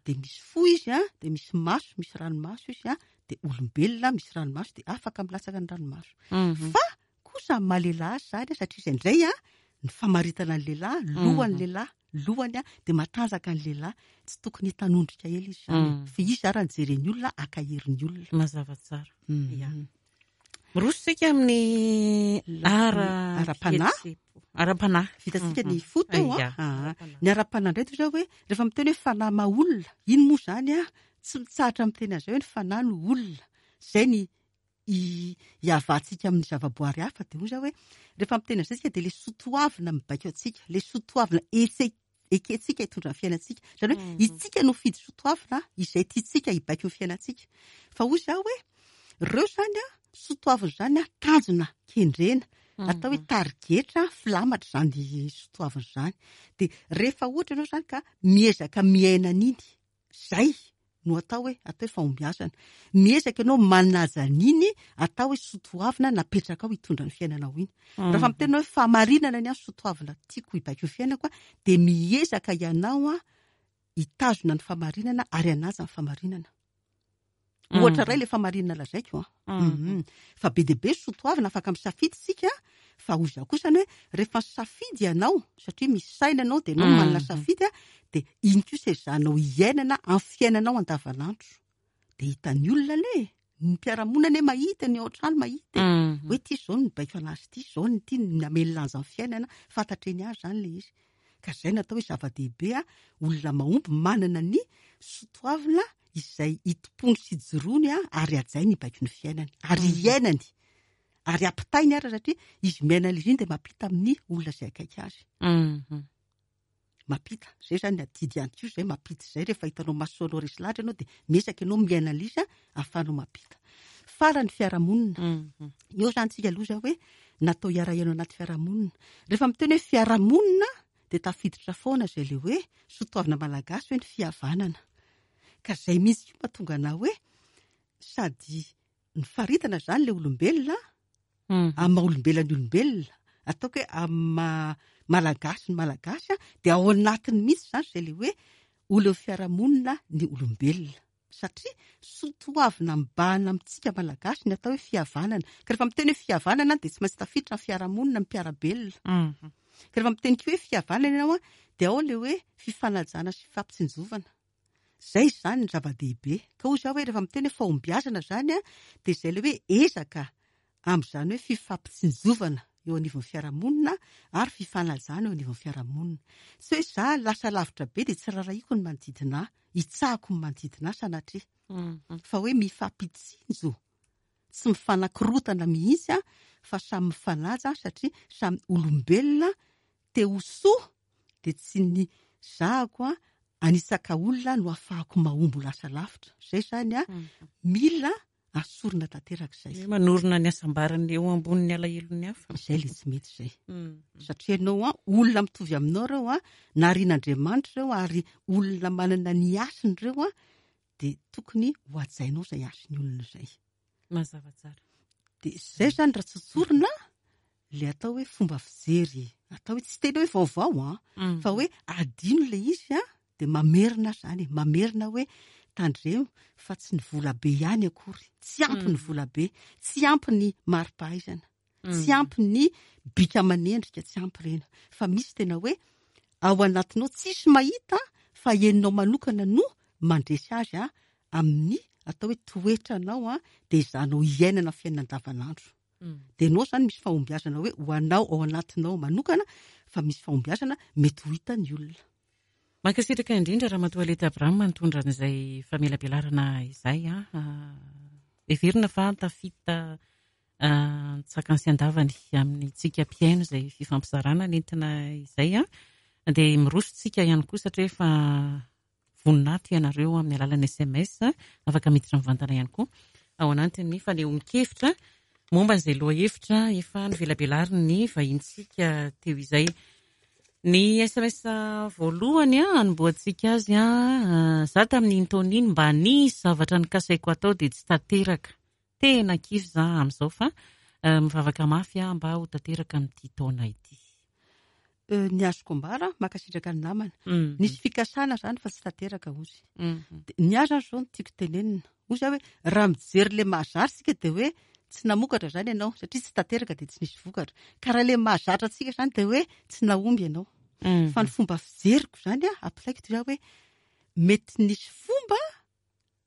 Dia misy fo izy an, dia misy maso, misy ranomaso izy an, dia olombelona misy ranomaso dia afaka milatsaka ny ranomaso. Fa kosa amin'ny maha lehilahy azy izany an, satria izay indray an, ny famaritana ny lehilahy, lohan'ny lehilahy, lohany an, dia matanjaka ny lehilahy, tsy tokony hitanondrika ela izy izany. Fa izy ara no jeren'ny olona, ankahery ny olona. Mazava tsara. Ya. Miroso isika amin'ny ara-panahy. Ara-panahy. Vitantsika ny fo teo an. Aa. Ny ara-panahy indray toy izao hoe rehefa miteny hoe fanahy maha olona, iny moa izany an, tsy mitsahatra miteny an'izay hoe ny fanahy no olona. Izay ny iavahantsika amin'ny zavaboary hafa dia hoy izaho hoe rehefa miteny an'izay isika dia ilay soatoavina mibaiko antsika, ilay soatoavina etse ekentsika hitondra ny fiainantsika. Izany hoe isika no fidy soatoavina izay tiantsika hibaiko ny fiainantsika. Fa hoy izaho hoe ireo izany an, soatoavina izany an, tanjona kendrena, atao hoe tarigetra, filamatra izany soatoavina izany. Dia rehefa ohatra ianao izany ka miezaka miaina an'iny, Zay no atao hoe atao hoe fahombiazana. Miezaka ianao manaja an'iny atao hoe sotoavina napetrakao hitondra ny fiainanao iny. Raha miteny hoe fahamarinana ny ahy sotoavina tiako hibaiko ny fiainako dia miezaka ianao hitazona ny fahamarinana ary hanaja ny fahamarinana. Ohatra iray ilay fahamarinana lazaiko an. Fa be dia be sotoavina afaka misafidy isika fa hoy izaho kosa ny hoe rehefa misafidy ianao satria misy saina ianao dia ianao manana safidy an, dia iny kosa ezahanao iainana amin'ny fiainanao andavanandro. Dia hitan'ny olona anie e, ny mpiara-monina anie mahita, ny ao an-trano mahita e. Hoe ity izao no nibaiko an'azy ity, izao no ity no namely lanja ny fiainana, fantatra eny ihany izany ilay izy. Ka izay no atao hoe zava-dehibe an, olona mahomby manana ny sotoavina izay itompoany sy ijoroany ary hajainy hibaiko ny fiainany ary iainany ary ampitainy ary satria izy miaina ilay izy iny dia mampita amin'ny olona izay akaiky azy. Mampita. Izay izany ny adidy ihany koa izay mampita izay rehefa hitanao maso anao resy lahatra ianao dia miezaka ianao miaina ilay izy ahafahanao mampita. Farany fiarahamonina. Eo izany tsika aloha izao hoe natao hiara-hiaina anaty fiarahamonina. Rehefa miteny hoe fiarahamonina dia tafiditra foana izay ilay hoe soatoavina malagasy hoe ny fihavanana. Ka izay mihitsy koa mahatonga anah hoe sady nifaritana izany ilay olombelona amin'ny maha olombelona ny olombelona, ataoko hoe amin'ny maha malagasy ny malagasy dia ao anatiny mihitsy izany izay ilay hoe olon'ny fiarahamonina ny olombelona. Satria soatoavina mibahana amintsika malagasy ny atao hoe fihavanana. Ka rehefa miteny hoe fihavanana dia tsy maintsy tafiditra ny fiarahamonina, ny mpiara-belona. Ka rehefa miteny koa hoe fihavanana ianao dia ao ilay hoe fifanajana sy fifampitsinjovana. Izay izany ny zava-dehibe. Ka hoy izaho hoe rehefa miteny hoe fahombiazana izany dia izay ilay hoe ezaka amin'izany hoe fifampitsinjovana. eo anivon'ny fiarahamonina ary fifanajana eo anivon'ny fiarahamonina. Tsy hoe za lasa lavitra be dia tsy rarahiko ny manodidina ahy, hitsahako ny manodidina ahy sanatria. Fa hoe mifampitsinjo, tsy mifanakorontana mihitsy fa samy mifanaja satria samy olombelona te ho soa dia tsy ny zahako anisaka olona no ahafahako mahomby ho lasa lavitra. Izay izany mila asorina tanteraka izay. Hoe manorina ny hasambarany eo ambonin'ny alahelon'ny hafa. Izay ilay tsy mety izay. Satria ianao an, olona mitovy aminao ireo an, narian'Andriamanitra ireo ary olona manana ny hasiny ireo an, dia tokony ho hajainao izay hasin'ny olona izay. Mazava tsara. Dia izay izany raha tsotsorina ilay atao hoe fomba fijery, atao hoe tsy tena hoe vaovao an, fa hoe adino ilay izy an, dia mamerina izany e, mamerina hoe tandremo fa tsy ny vola be ihany akory, tsy ampy ny vola be, tsy ampy ny mari-pahaizana, tsy ampy ny bika aman'endrika, tsy ampy ireny, fa misy tena hoe ao anatinao tsisy mahita fa ianao manokana no mandresy azy an, amin'ny atao hoe toetranao an, dia izanao iainana fiainana andavanandro. Dia ianao izany misy fahombiazana hoe ho anao ao anatinao manokana fa misy fahombiazana mety ho hitan'ny olona. Mankasitraka indrindra Ramatoa Aleta Abraham nitondra an'izay famelabelarana izay. Heverina fa tafita an-tsakany sy an-davany amintsika mpihaino izay fifampizarana nentina izay. Dia miroso tsika ihany koa satria efa vonona ato ianareo amin'ny alalan'ny sms, afaka miditra mivantana ihany koa ao anatin'ny fanehoan-kevitra momba izay lohahevitra efa novelabelarin'ny vahintsika teo izay. Ny sms voalohany hanombohantsika azy, za tamin'iny taona iny mba nisy zavatra nokasaiko hatao dia tsy tanteraka. Tena kivy za amin'izao fa mivavaka mafy aho mba ho tanteraka amin'ity taona ity. Ny azoko ambara, mankasitraka ny namana. Nisy fikasana izany fa tsy tanteraka hozy. Ny ahy izany izao no tiako tenenina. Hoy za hoe raha mijery ilay mahazatra isika dia hoe tsy namokatra izany ianao satria tsy tanteraka dia tsy nisy vokatra. Ka raha ilay mahazatra antsika izany dia hoe tsy nahomby ianao. Fa ny fomba fijeriko izany, ampilaiko dia hoe mety nisy fomba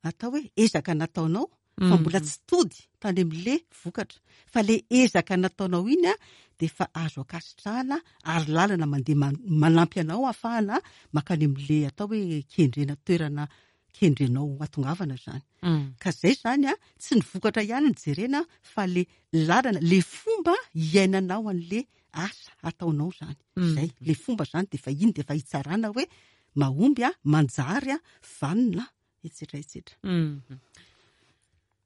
atao hoe ezaka nataonao fa mbola tsy tody tany amin'le vokatra fa le ezaka nataonao iny a dia efa azo ankasitrahana ary lalana mandeha manampy anao ahafahana mankany amin'le atao hoe kendrena toerana kendrenao hatongavana izany. Ka zay izany a, tsy ny vokatra ihany no jerena fa le lalana, le fomba iainanao an'le asa ataonao izany. Zay, le fomba izany dia efa iny dia efa hitsarana hoe mahomby a, manjary a, vanona, etsetra etsetra.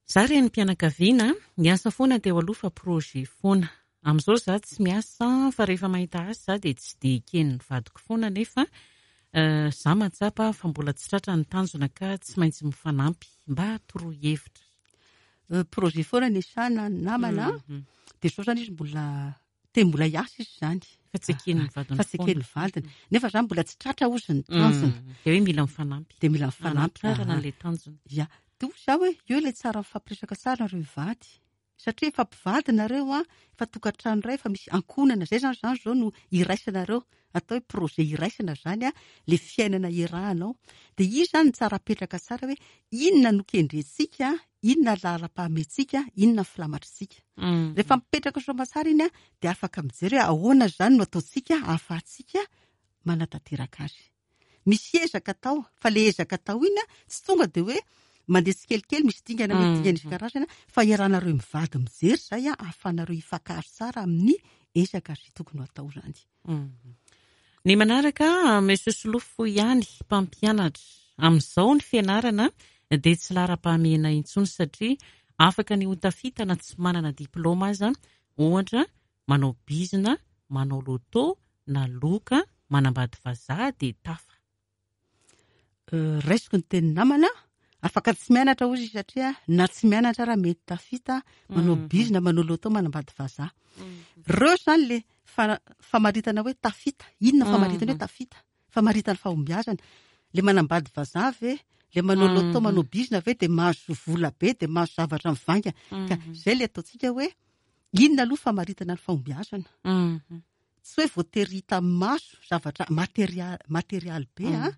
Za renim-pianakaviana, niasa foana teo aloha fa projet foana. Amin'izao za tsy miasa fa rehefa mahita asa za dia tsy dia eken'ny vadiko foana nefa za mahatsapa fa mbola tsy tratra ny tanjona ka tsy maintsy mifanampy. Mba toroy hevitra. Projet foana niasana namana dia izao izany izy mbola Te mbola hiasa izy izany. Fa tsy eken'ny vadiny Fa tsy eken'ny vadiny. Nefa izany mbola tsy tratra hozy ny tanjona. Dia hoe mila mifanampy. Dia mila mifanampy. Hanatrarana an'ilay tanjona. Ya. Dia hoy izaho hoe eo ilay tsara mifampiresaka tsara nareo mivady. Satria efa mpivady nareo an, efa tokantrano iray, efa misy ankohonana. Izay izany izany izao no iraisanareo. Atao hoe projet iraisana izany an, ilay fiainana iarahanao. Dia io izany no tsara apetraka tsara hoe inona no kendrentsika, inona ny laharam-pahamehantsika, inona ny filamatritsika. Rehefa mipetraka soamatsara iny dia afaka mijery hoe ahoana izany no ataontsika ahafahantsika manatanteraka azy. Misy ezaka atao, fa ilay ezaka atao iny tsy tonga dia hoe mandeha tsikelikely, misy dingana mety dingana isan-karazany, fa iarahanareo mivady mijery izay ahafahanareo hifankahazo tsara amin'ny ezaka izay tokony ho atao izany. Ny manaraka, Monsieur Solofo ihany, mpampianatra. Amin'izao ny fianarana dia tsy laharam-pahamehana intsony satria afaka ny ho tafita na tsy manana diplaoma aza, ohatra, manao bizina, manao loto na loka, manambady vazaha dia tafa. Raisiko ny tenin'ny namana, afaka tsy mianatra hozy izy satria na tsy mianatra ara mety tafita, manao bizina, manao loto, manambady vazaha. Ireo izany le famaritana hoe tafita. Inona famaritana hoe tafita? Famaritana fahombiazana. Le manambady vazaha ve, le manao loto, manao bizina ve dia mahazo vola be, dia mahazo zavatra mivaingana. Ka izay le ataontsika hoe inona aloha famaritana ny fahombiazana? Tsy hoe voatery hita amin'ny maso zavatra materia-, materialy be an,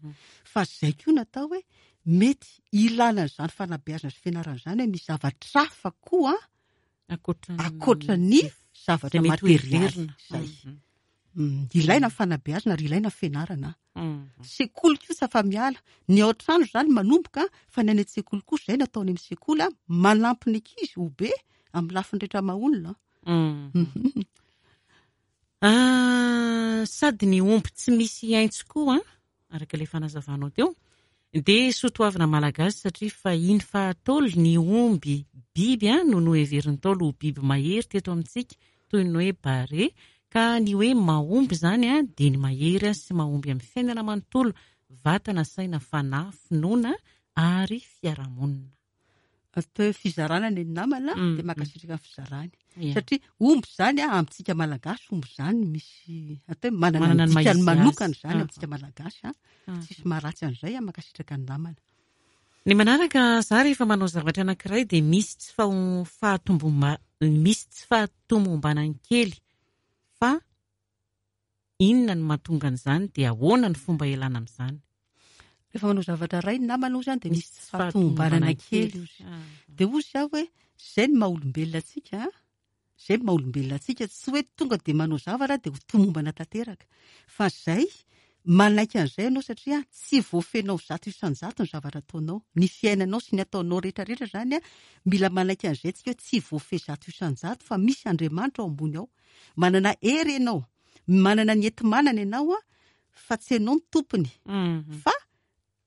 fa izay koa no atao hoe mety ilana an'izany fanabeazana sy fianarana izany hoe misy zavatra hafa koa Ankoatra ankoatra ny zavatra materialy izay. Ilaina ny fanabeazana ary ilaina ny fianarana. Sekoly koa tsy afa-miala. Ny ao an-trano izany manomboka fa ny any an-tsekoly koa izay no atao any amin'ny sekoly, manampy ny ankizy ho be amin'ny lafiny rehetra maha olona. Sady ny omby tsy misy haintso koa, araka ilay fanazavanao teo, dia soatoavina malagasy satria fahiny faha-Ntaolo ny omby biby no noheverin'ny Ntaolo ho biby mahery teto amintsika toy ny hoe bare, ka ny hoe mahomby izany dia ny mahery sy mahomby amin'ny fiainana manontolo, vatana, saina, fanahy, finoana ary fiarahamonina. Atao hoe fizarana ny namana dia mankasitraka ny fizarany. Satria omby izany amintsika Malagasy omby izany misy atao hoe manana ny dikany manokana izany amintsika Malagasy. Tsisy maharatsy an'izay, mankasitraka ny namana. Ny manaraka, za rehefa manao zavatra anankiray dia misy tsy fahatombo-, misy tsy fahatomombanany kely fa inona no mahatonga an'izany dia ahoana ny fomba ialana amin'izany? Rehefa manao zavatra iray ny namana ozy dia misy tsy fahatomombanana kely ozy. Dia ozy aho hoe izay no maha olombelona antsika, izay no maha olombelona antsika, tsy hoe tonga dia manao zavatra dia ho tomombana tanteraka. Fa izay, manaiky an'izay ianao satria tsy voafenao 100% ny zavatra ataonao. Ny fiainanao sy ny ataonao rehetra rehetra izany, mila manaiky an'izay tsika hoe tsy voafehy 100% fa misy Andriamanitra ao ambony ao. Manana hery ianao, manana ny enti-manana ianao fa tsy ianao no tompony fa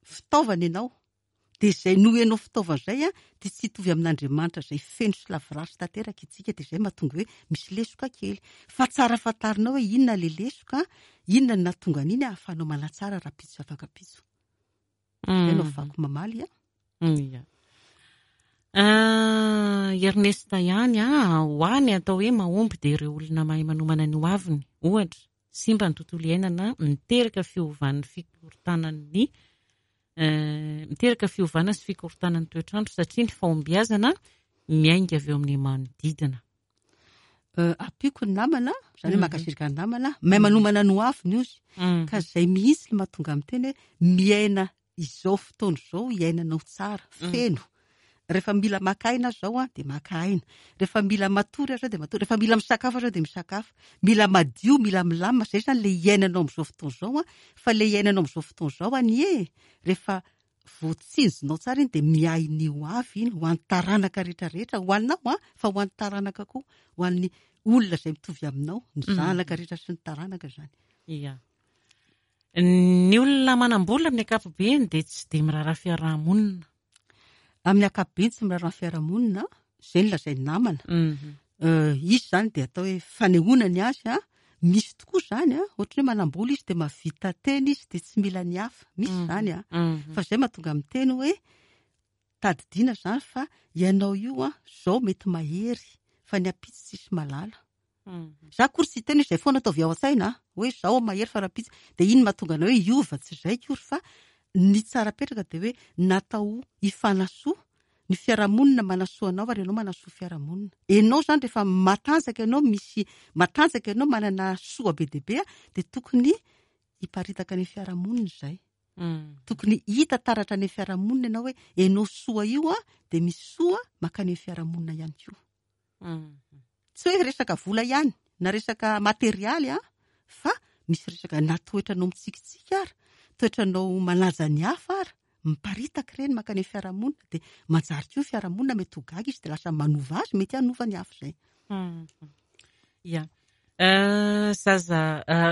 fitaovana ianao. Dia izay noho ianao fitaovana izay dia tsy hitovy amin'Andriamanitra izay feno sy lavorary sy tanteraka isika, dia izay mahatonga hoe misy lesoka kely. Fa tsara fantarinao hoe inona ilay lesoka, inona no nahatonga an'iny ahafahanao manatsara rahampitso sy afakampitso. Izay no afahako mamaly an. Ia. Ernest ihany an, ho ahy ny atao hoe mahomby dia ireo olona mahay manomana ny hoaviny. Ohatra, simba ny tontolo iainana, miteraka fiovan'ny fikorontanan'ny miteraka fiovana sy fikorontanan'ny toetr'andro satria ny fahombiazana miainga avy eo amin'ny manodidina. Ampiako ny namana, izany hoe mankasitraka ny namana, mahay manomana ny hoaviny ozy. Ka izay mihitsy no mahatonga amin'ny teny hoe miaina izao fotoana izao iainanao tsara, feno. Rehefa mila maka aina aho izao dia maka aina. Rehefa mila matory aho izao dia matory. Rehefa mila misakafo aho izao dia misakafo. Mila madio, mila milamina. Izay izany ilay iainanao amin'izao fotoana izao. Fa ilay iainanao amin'izao fotoana izao anie, rehefa voatsinjonao tsara iny dia miahy ny ho avy iny, ho an'ny taranaka rehetra rehetra, ho anao fa ho an'ny taranaka koa, ho an'ny olona izay mitovy aminao, ny zanaka rehetra sy ny taranaka izany. Ia. Ny olona manam-bola amin'ny ankapobeny dia tsy dia miraharaha fiaraha-monina. Amin'ny ankapobeny tsy miraharaha fiaraha-monina, izay no lazain'ny namana. Izy izany dia atao hoe fanehoana ny azy an, misy tokoa izany an, ohatran'ny hoe manam-bola izy dia mahavita tena izy dia tsy mila ny hafa, misy izany an. Fa izay mahatonga miteny hoe tadidiana izany fa ianao io an, izao mety mahery fa ny ampitso tsisy mahalala. Za akory tsy hiteny hoe izay foana ataovy ao an-tsaina a, hoe izao aho mahery fa rahampitso, dia iny mahatonga anao hoe hiova, tsy izay akory fa ny tsara apetraka dia hoe natao hifanasoa, ny fiarahamonina manasoa anao ary ianao manasoa fiarahamonina. Ianao izany rehefa matanjaka ianao, misy matanjaka ianao, manana soa be dia be dia tokony hiparitaka any amin'ny fiarahamonina izay. Tokony hita taratra any amin'ny fiarahamonina ianao hoe ianao soa io dia misy soa mankany amin'ny fiarahamonina ihany koa. Tsy hoe resaka vola ihany na resaka materialy an, fa misy resaka na toetranao mitsikitsiky ara, toetranao manaja ny hafa ara, miparitaka ireny mankany amin'ny fiarahamonina dia manjary koa ny fiarahamonina mety ho gaga izy dia lasa manova azy, mety hanova ny hafa izay. Ya. Zaza,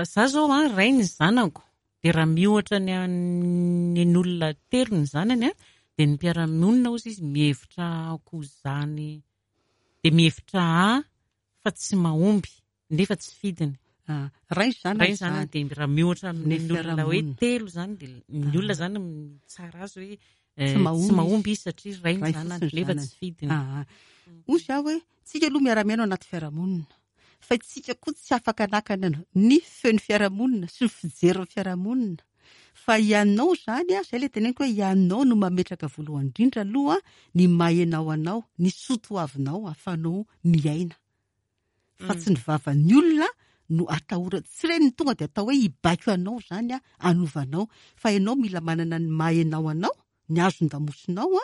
za zao an, ray ny zanako, Dia raha miohatra ny an'ny olona telo ny zanany an, dia ny mpiara-monina hozy izy mihevitra ahy izany, dia mihevitra ahy fa tsy mahomby nefa tsy fidiny. Ray ny zanany Ray ny zanany dia raha miohatra amin'ny olona hoe telo izany dia ny olona izany mitsara azy hoe tsy mahomby izy satria ray ny zanany nefa tsy fidiny. Hozy aho hoe tsika aloha miara-miaina ao anaty fiarahamonina. Fa isika koa tsy afaka hanakana ny feon'ny fiarahamonina sy ny fijerin'ny fiarahamonina. Fa ianao izany, izay ilay teneniko hoe ianao no mametraka voalohany indrindra aloha ny maha ianao anao, ny soa toavinao ahafahanao miaina. Fa tsy ny vavan'ny olona no atahorana. Tsy ireny no tonga dia atao hoe hibaiko anao izany hanova anao. Fa ianao mila manana ny maha ianao anao, ny hazon-damosinao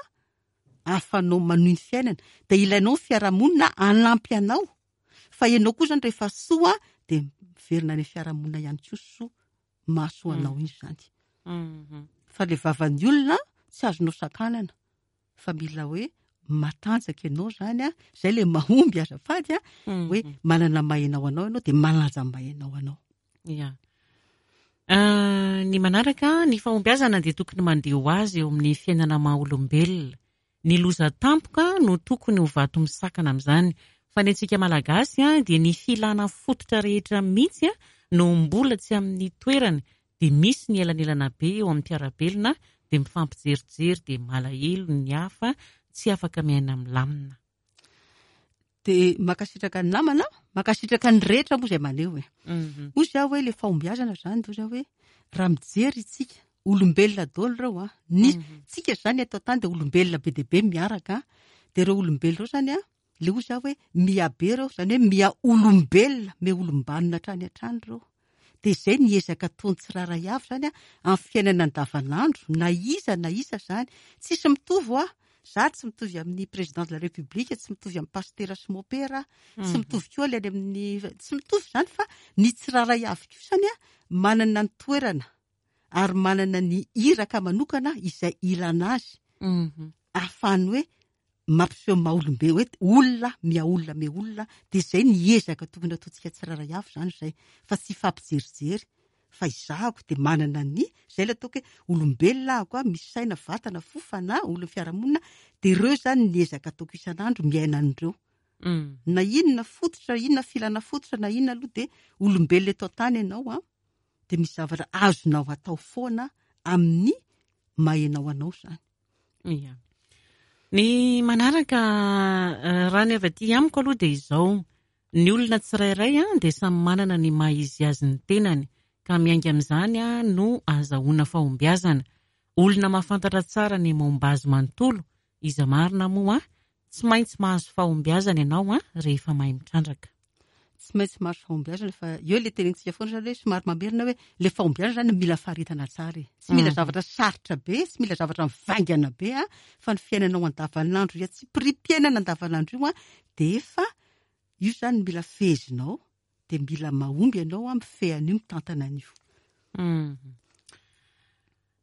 ahafahanao manohy ny fiainana. Dia ilainao ny fiarahamonina hanampy anao. Fa ianao koa izany rehefa soa dia miverina any amin'ny fiarahamonina ihany koa soa mahasoa anao iny izany. Fa ilay vavan'ny olona tsy azonao sakanana fa mila hoe matanjaka ianao izany an, izay ilay mahomby azafady an, hoe manana maha-ianao anao ianao dia manaja ny maha-ianao anao. Ya. Ny manaraka, ny fahombiazana dia tokony mandeha ho azy eo amin'ny fiainana maha-olombelona. Ny loza tampoka no tokony ho vato misakana amin'izany. Fa ny antsika Malagasy dia ny filana fototra rehetra mihitsy no mbola tsy amin'ny toerany dia misy ny elanelana be eo amin'ny mpiara-belona dia mifampijerijery dia malahelo ny hafa tsy afaka miaina milamina. Dia mankasitraka ny namana, mankasitraka ny rehetra moa izay maneho e. Hoy izaho hoe ilay fahombiazana izany, hoy izaho hoe raha mijery isika, olombelona daholo ireo an, ny tsika izany eto an-tany dia olombelona be dia be miaraka an, dia ireo olombelona ireo izany an, ilay hoy izaho hoe miha be ireo, izany hoe miha olombelona, miha olom-banona hatrany hatrany ireo. Dia izay ny ezaka ataon'ny tsirairay avy izany amin'ny fiainana andavanandro, na iza na iza izany. Tsisy mitovy hoa. Za tsy mitovy amin'ny président de la république, tsy mitovy amin'ny pasitera sy mopera, tsy mitovy koa ilay any amin'ny, tsy mitovy izany fa ny tsirairay avy kosany manana ny toerana ary manana ny iraka manokana izay ilana azy. Ahafahany hoe mampiseho maha olombe hoe olona miha olona miha olona dia izay ny ezaka tokony ataontsika tsirairay avy izany izay fa tsy hifampijerijery fa izahako dia manana ny izay ilay ataoko hoe olombelona ahako a misy saina vatana fo fanahy olon'ny fiarahamonina dia ireo izany ny ezaka ataoko isan'andro miaina an'ireo na inona fototra inona filana fototra na inona aloha dia olombelona eto an-tany ianao a dia misy zavatra azonao atao foana amin'ny maha ianao anao izany Ia. Ny manaraka, raha ny avy aty amiko aloha dia izao, ny olona tsirairay dia samy manana ny maha izy azy ny tenany, ka miainga amin'izany no ahazahoana fahombiazana. Olona mahafantatra tsara ny momba azy manontolo, iza marina moa Tsy maintsy mahazo fahombiazana ianao rehefa mahay mitrandraka. Tsy maintsy mahazo fahombiazana fa eo ilay tenenintsika foana izany hoe somary mamerina hoe ilay fahombiazana izany mila faharetana tsara e. Tsy mila zavatra sarotra be, tsy mila zavatra mivaingana be fa ny fiainanao andavanandro io tsipiriam-piainana andavanandro io dia efa io izany mila fehezinao dia mila mahomby ianao mifehy an'io, mitantana an'io.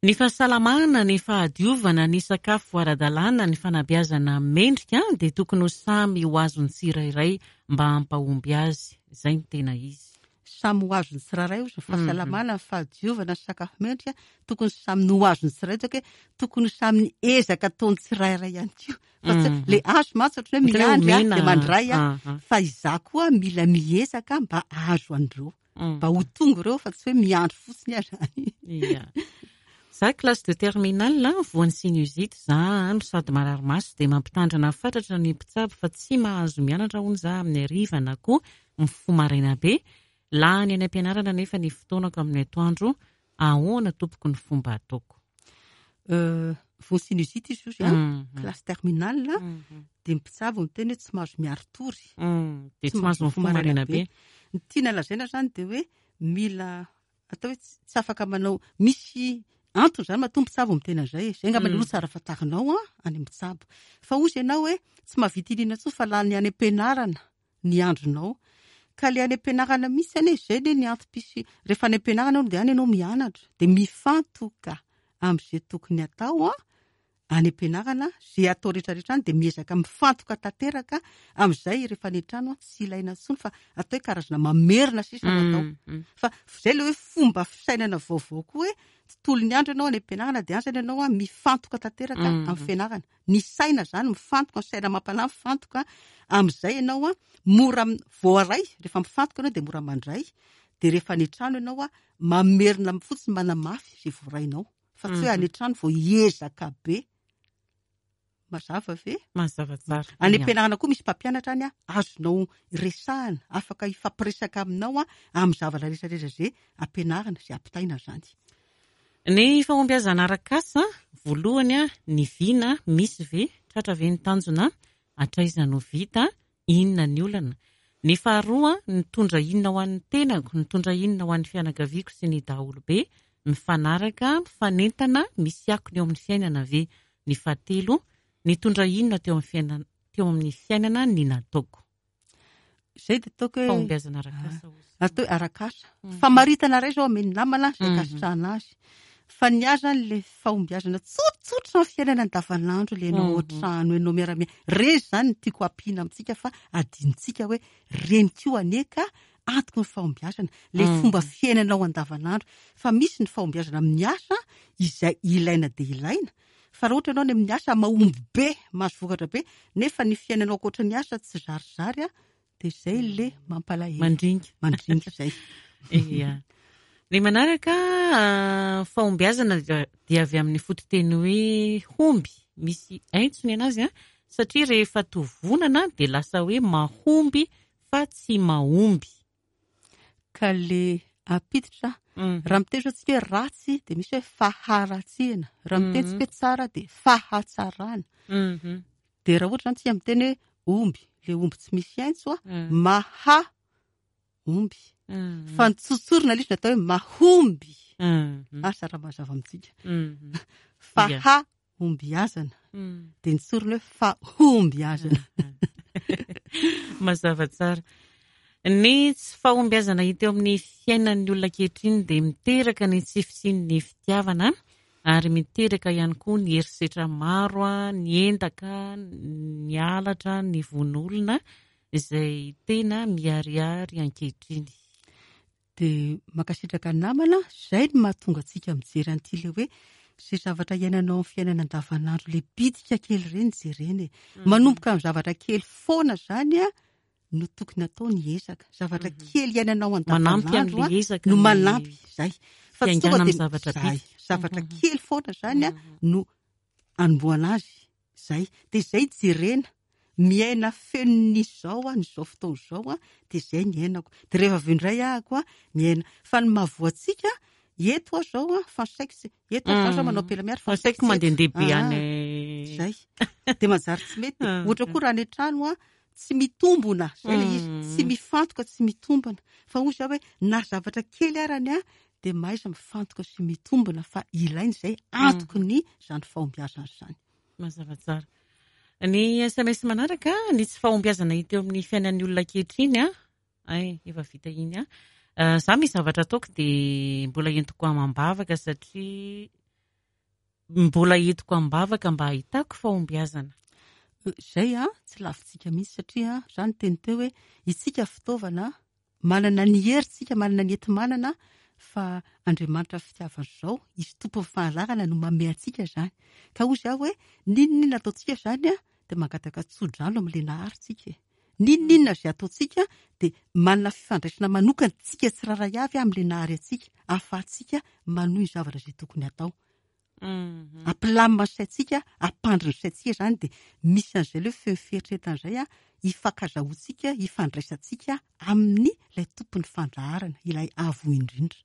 Ny fahasalamana, ny fahadiovana, ny sakafo ara-dalàna, ny fanabeazana mendrika dia tokony ho samy ho azon'ny tsirairay mba hampahomby azy. Izay no tena izy. Samy ho azon'ny tsirairay ozy ny fahasalamana, ny fahadiovana, ny sakafo mendrika, tokony samy ho azon'ny tsirairay, hoe tokony ho samy ny ezaka ataon'ny tsirairay ihany koa. Fa tsy le azo mantsy ohatran'ny hoe miandry aho dia mandray aho, fa izaho koa mila miezaka mba hahazo an'ireo. Mba ho tonga ireo fa tsy hoe miandry fotsiny aho izany. Ia. Za classe de terminale, voan'ny sinusite za no sady marary maso dia mampitandrina fatratra ny mpitsabo fa tsy mahazo mianatra hono za amin'ny hariva na koa mifoha maraina be. Lany any am-pianarana nefa ny fotoanako amin'ny atoandro Ahoana tompoko ny fomba ataoko? Voa sinusite izy io an, classe terminale, dia ny mpitsabo miteny hoe tsy mahazo miari-tory. Dia tsy mahazo mifoha maraina be. Ny tiana lazaina izany dia hoe mila atao hoe tsy afaka manao, misy antony izany matoa mpitsabo miteny an'izay e. Izay angamba aloha tsara fantarinao an, any amin'ny mpitsabo. Fa hozy ianao hoe tsy mahavita inona intsony fa lany any am-pianarana. ny andronao. Ka le any am-pianarana mihitsy anie, izay anie ny antom-pisi-, rehefa any am-pianarana ianao dia any ianao mianatra, dia mifantoka amin'izay tokony atao an, any am-pianarana, izay atao rehetra rehetra any dia miezaka mifantoka tanteraka amin'izay rehefa any an-trano an, tsy ilaina intsony fa atao hoe karazana mamerina sisa no atao. Fa izay ilay hoe fomba fisainana vaovao koa hoe tontolon'ny andro ianao any am-pianarana dia any izany ianao an mifantoka tanteraka amin'ny fianarana. Ny saina izany mifantoka, ny saina amam-panahy mifantoka, amin'izay ianao an, mora voaray, rehefa mifantoka ianao dia mora mandray, dia rehefa any an-trano ianao an, mamerina fotsiny manamafy izay voarainao, fa tsy hoe any an-trano vao hiezaka be. Mazava ve? Mazava tsara. Any am-pianarana koa misy mpampianatra any an, azonao resahana, afaka hifampiresaka aminao an, amin'ny zavatra rehetra rehetra izay ampianarina, izay ampitaina izany. Ny fahombiazana arak'asa, voalohany, ny vina, misy ve? Tratra ve ny tanjona? Hatraiza no vita? Inona ny olana? Ny faharoa, nitondra inona ho an'ny tenako, nitondra inona ho an'ny fianakaviako sy ny daholobe? Mifanaraka, mifanentana, misy akony eo amin'ny fiainana ve? Ny fahatelo, nitondra inona teo amin'ny fiainana, teo amin'ny fiainana ny nataoko? Izay dia ataoko hoe Fahombiazana arak'asa hozy. Atao hoe arak'asa. Famaritana iray izao omen'ny namana izay ankasitrahana azy. Fa ny ahy izany ilay fahombiazana tsotsotra amin'ny fiainana andavanandro, ilay ianao ao an-trano, ianao miara-miaina. Ireny izany no tiako hampiana amintsika fa adinontsika hoe ireny koa anie ka antoky ny fahombiazana, ilay fomba fiainanao andavanandro. Fa misy ny fahombiazana amin'ny asa izay ilaina dia ilaina, fa raha ohatra ianao any amin'ny asa mahomby be, mahazo vokatra be, nefa ny fiainanao ankoatra ny asa tsy zarizary, dia izay ilay mampalahelo. Mandringa. Mandringa izay. Ia. Ny manaraka, fahombiazana dia avy amin'ny fototeny hoe homby, misy aintso ny anazy, satria rehefa tovonana dia lasa hoe mahomby fa tsy mahomby. Ka le ampiditra, raha miteny zao tsika hoe ratsy dia misy hoe faharatsiana, raha miteny tsika hoe tsara dia fahatsarana. Dia raha ohatra zany tsika miteny hoe omby, le omby tsy misy aintso a, maha omby. Fa ny tsotsorina le izy natao hoe mahomby. Asa raha mazava amintsika. Faha ombiazana. Dia nitsorina hoe fahombiazana. Mazava tsara. Ny tsy fahombiazana hita eo amin'ny fiainan'ny olona ankehitriny dia miteraka ny tsy fisian'ny fitiavana ary miteraka ihany koa ny herisetra maro, ny endaka, ny halatra, ny vono olona izay tena miharihary ankehitriny. Dia mankasitraka namana, izay no mahatonga antsika mijery an'ity ilay hoe izay zavatra iainanao amin'ny fiainana andavanandro ilay bitika kely ireny jerena e. Manomboka amin'ny zavatra kely foana izany a no tokony atao ny ezaka. Zavatra kely iainanao Manampy andavanandro an'ilay ezaka no ny manampy izay. Fa tsy tonga fiaingàna dia amin'ny zavatra izay. bitika. Zavatra kely foana izany a no anombohana azy. Izay. Dia izay jerena. Miaina feno ny izao aho, ny izao fotoana izao aho, dia izay ny iainako. Dia rehefa avy eo indray ahako aho, miaina. Fa ny mahavoa antsika, eto aho izao an, fa ny saiko tsy, eto aho izao manao pelamiary, fa ny saiko mandehandeha be any. Izay. Dia manjary tsy mety. Ohatra koa raha any an-trano aho, tsy mitombona, izay ilay izy. Tsy mifantoka, tsy mitombona. Fa hoy izaho hoe, na zavatra kely arany aho, dia mahaiza mifantoka sy mitombona fa ilaina izay, antoky ny izany fahombiazana izany. Mazava tsara. Ny SMS manaraka, ny tsy fahombiazana hita eo amin'ny fiainan'ny olona ankehitriny an, ay, efa vita iny an. Za misy zavatra ataoko dia mbola entiko amam-bavaka satria mbola entiko am-bavaka mba hahitako fahombiazana. Izay an, tsy lavintsika mihitsy satria za niteny teo hoe isika fitaovana Manana ny hery tsika, manana ny enti-manana fa Andriamanitra fitiavana izao, Izy tompon'ny fahalalana no manome antsika izany. Ka hoy izaho hoe, n'inon'inona ataontsika izany dia mangataka tso-drano amin'ilay Nahary tsika e. N'inon'inona izay ataontsika dia manana fifandraisana manokana tsika tsirairay avy amin'ilay Nahary antsika, ahafahantsika manohy ny zavatra izay tokony hatao. Hampilamina ny saintsika, hampandry ny saintsika izany dia misy an'izay ilay hoe feo fieritreretana izay an, hifankazahoantsika, hifandraisantsika amin'ny ilay tompon'ny fandaharana, ilay avo indrindra.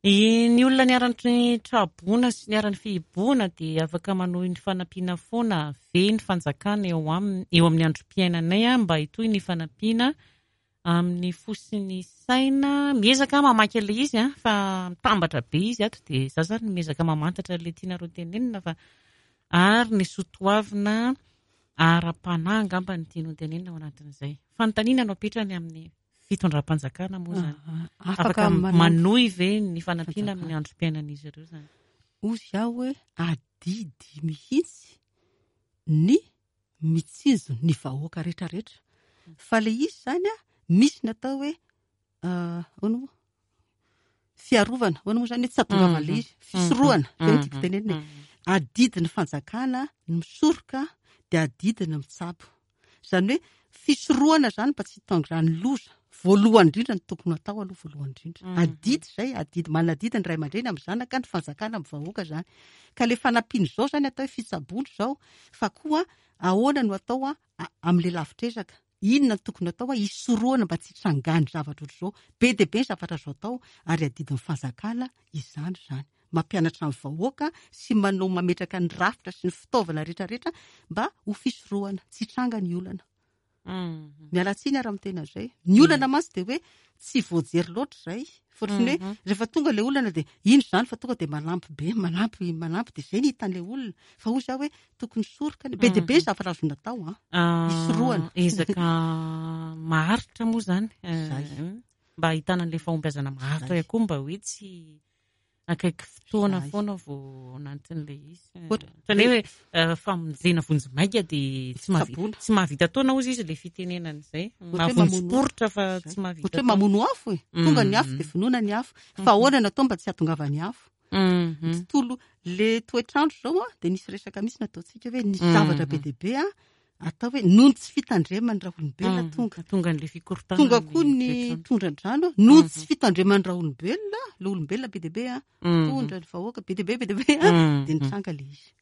Ny olona niharan'ny traboina sy niharan'ny fihibohana dia afaka manohy ny fanampiana foana ve ny fanjakana eo aminy, eo amin'ny androm-piainanay mba hitohy ny fanampiana Amin'ny fo sy ny saina, miezaka aho mamaky an'ilay izy an, fa mitambatra be izy ato dia izaho izany miezaka mamantatra an'ilay tianareo tenenina fa ary ny soatoavina ara-panahy angamba no tiany ho tenenina ao anatin'izay. Fanontaniana no apetrany amin'ny fitondram-panjakana moa izany. Afaka Afaka manohy ve ny fanampiana amin'ny androm-piainan'izy ireo izany? Hoy aho hoe adidy mihitsy ny mitsinjo ny vahoaka rehetra rehetra. Fa le izy zany a, misy ny atao hoe ahoana moa? Fiarovana, ahoana moa zany hoe tsy hahatongavana le izy, fisorohana, zay no tiako tenenina e. Adidin'ny fanjakana ny misoroka dia adidiny ny mitsabo. Izany hoe fisorohana izany mba tsy hitangrany loza. Voalohany indrindra ny tokony hatao aloha voalohany indrindra. Adidy izay, adidy, manadidy ny ray aman-dreny amin'ny zanaka, ny fanjakana amin'ny vahoaka izany. Ka ilay fanampiana izao izany atao hoe fitsaboana izao, fa koa ahoana no atao amin'ilay lavitr'ezaka. Inona no tokony atao hisorohana mba tsy hitrangany zavatra ohatr'izao. Be dia be ny zavatra azo atao ary adidin'ny fanjakana izany izany. Mampianatra ny vahoaka sy manao mametraka ny rafitra sy ny fitaovana rehetra rehetra mba ho fisorohana tsy hitranga ny olana. Miala tsiny ary amin'ny tena izay. Ny olana mantsy dia hoe tsy voajery loatra izay. Fa ohatran'ny hoe rehefa tonga ilay olana dia ino izany fa tonga dia manampy be, manampy, manampy dia izay ny hitan'ilay olona. Fa hoy izaho hoe tokony soroka, be dia be ny zavatra azo natao an. Hisorohana. Ezaka maharitra moa izany. Mba ahitana an'ilay fahombiazana maharitra ihany koa mba hoe tsy akaiky fotoana foana vao anatin'ilay izy. Ohatran'ny hoe eh, famonjena vonjimaika dia tsy mahavita tsy mahavita taona hozy izy ilay fitenenana izay. Mahavonjy poritra fa tsy mahavita. Ohatra hoe mamono afo e. Tonga ny afo dia vonoina ny afo. Fa ahoana no atao mba tsy hahatongavan'ny afo? Ny tontolo le toetr'andro izao a dia nisy resaka mihitsy nataontsika hoe nisy zavatra be dia be a atao hoe noho ny tsy fitandreman'ny raolombelona mm, tonga. Tonga an'ilay fikorontanana. Tonga koa ny tondra-drano noho ny tsy mm-hmm. fitandreman'ny raolombelona, le olombelona be dia be a, mm-hmm. tondra ny vahoaka be dia be be dia be a, mm-hmm. dia nitranga le izy.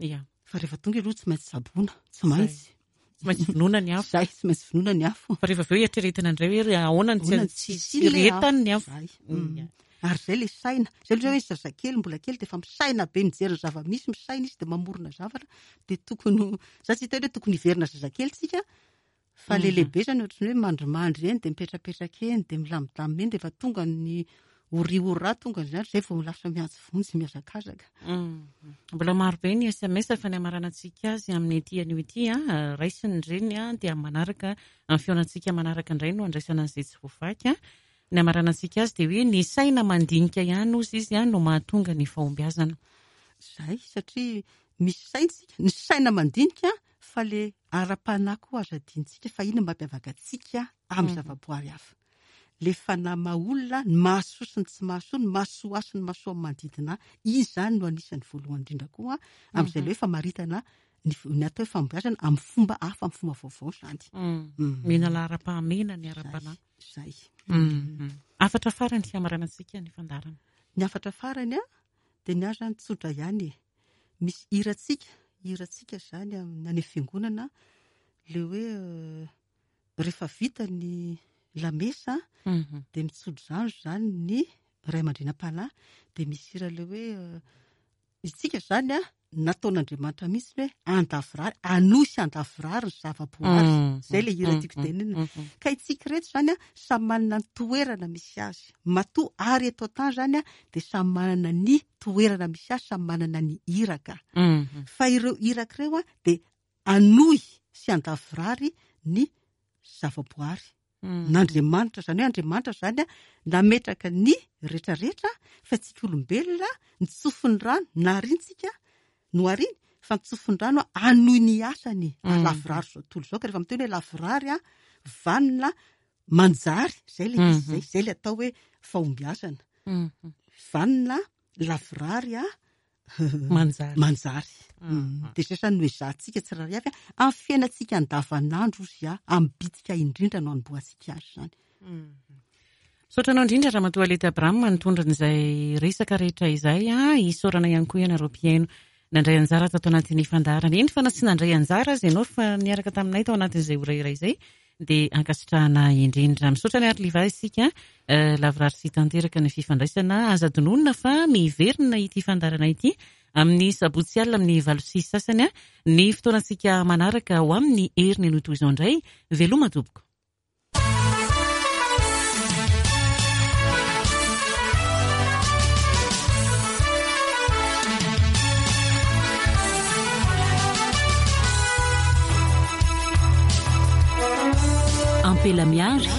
Ya. Fa rehefa tonga aloha tsy maintsy tsaboina, tsy maintsy. Tsy maintsy vonoina ny afo. Zay, tsy maintsy vonoina ny afo. Fa rehefa avy eo eritreretina indray hoe ahoana ny tsy tsy rehetany ny afo. Zay. Mm. Ary izay ilay saina. Izay aloha hoe zazakely mbola kely dia efa misaina be mijery ny zava-misy, misaina izy dia mamorona zavatra. Dia tokony ho, za tsy hiteny hoe tokony hiverina zazakely tsika, fa le lehibe zany ohatran'ny hoe mandrimandry eny dia mipetrapetraka eny dia milamindamina eny rehefa tonga ny ori-ora tonga ny zany, izay vao lasa miantso vonjy mihazakazaka. Mbola maro be ny sms fa ny hamaranantsika azy amin'ity anio ity, raisiny ireny dia amin'ny manaraka, amin'ny fihaonantsika manaraka indray no handraisana an'izay tsy voavaky. Ny hamaranantsika azy dia hoe ny saina mandinika ihany hozy izy no mahatonga ny fahombiazana. Izay, satria misy saina isika, ny saina mandinika fa le ara-panahy koa aza adinontsika fa iny no mampiavaka antsika amin'ny zavaboary hafa. Le fanahy maha olona, ny mahasoa sy ny tsy mahasoa, ny mahasoa ahy sy ny mahasoa amin'ny manodidina ahy, iny izany no anisan'ny voalohany indrindra koa amin'izay le hoe famaritana ny ny atao hoe fahombiazana amin'ny fomba hafa, amin'ny fomba vaovao izany. Mena laharam-pahamehana ny ara-panahy. Izay. Hafatra farany hamaranantsika ny fandaharana. Ny hafatra farany a, dia ny ahy izany tsotra ihany e. Misy hirantsika, hirantsika izany amin'ny any fiangonana, ilay hoe rehefa vita ny lamesa dia mitsodrano izany ny ray aman-dreny am-panahy, dia misy hira ilay hoe Isika izany an, nataon'Andriamanitra mihitsy ny hoe handavorary, hanohy sy handavorary ny zavaboary. Izay ilay hira tiako tenenina. Ka isika ireto izany an, samy manana ny toerana misy azy. Matoa ary eto an-tany izany an, dia samy manana ny toerana misy azy, samy manana ny iraka. Fa ireo iraka ireo an, dia hanohy sy handavorary ny zavaboary. N'Andriamanitra, izany hoe Andriamanitra izany nametraka ny retraretra fa tsika olombelona ny tsofin'ny rano narintsika nohariny fa ny tsofin'ny rano hanohy ny asany halavorary izao tontolo izao ka rehefa miteny hoe lavorary vanona manjary izay ilay izy izay, izay ilay atao hoe fahombiazana vanona lavorary a Manjary. Manjary. Dia izay izany no ezahantsika tsirairay avy amin'ny fiainantsika andavanandro ozy a, amin'ny bitika indrindra no anombohantsika azy izany. Misaotra anao indrindra Ramatoa Aleta Abraham nitondra an'izay resaka rehetra izay a, isaorana ihany koa ianareo mpihaino nandray anjara tato anatin'ny fandaharana. Eny fa na tsy nandray anjara aza ianao fa niaraka taminay tao anatin'izay ora iray izay dia ankasitrahana indrindra. Misaotra an'i Arliva isika, lavorary sy tanteraka ny fifandraisana. Aza adinoina fa miverina ity fandaharana ity amin'ny sabotsy alina amin'ny 8:30 ny fotoanantsika manaraka ho amin'ny heriny anio toy izao indray. Veloma tompoko. Ampela miary.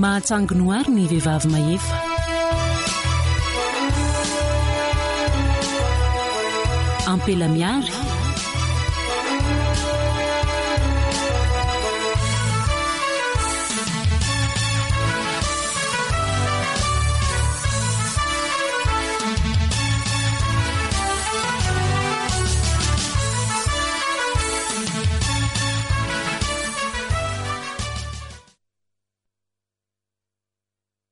Mahatsangy noary ny vehivavy mahefa. Ampela miary.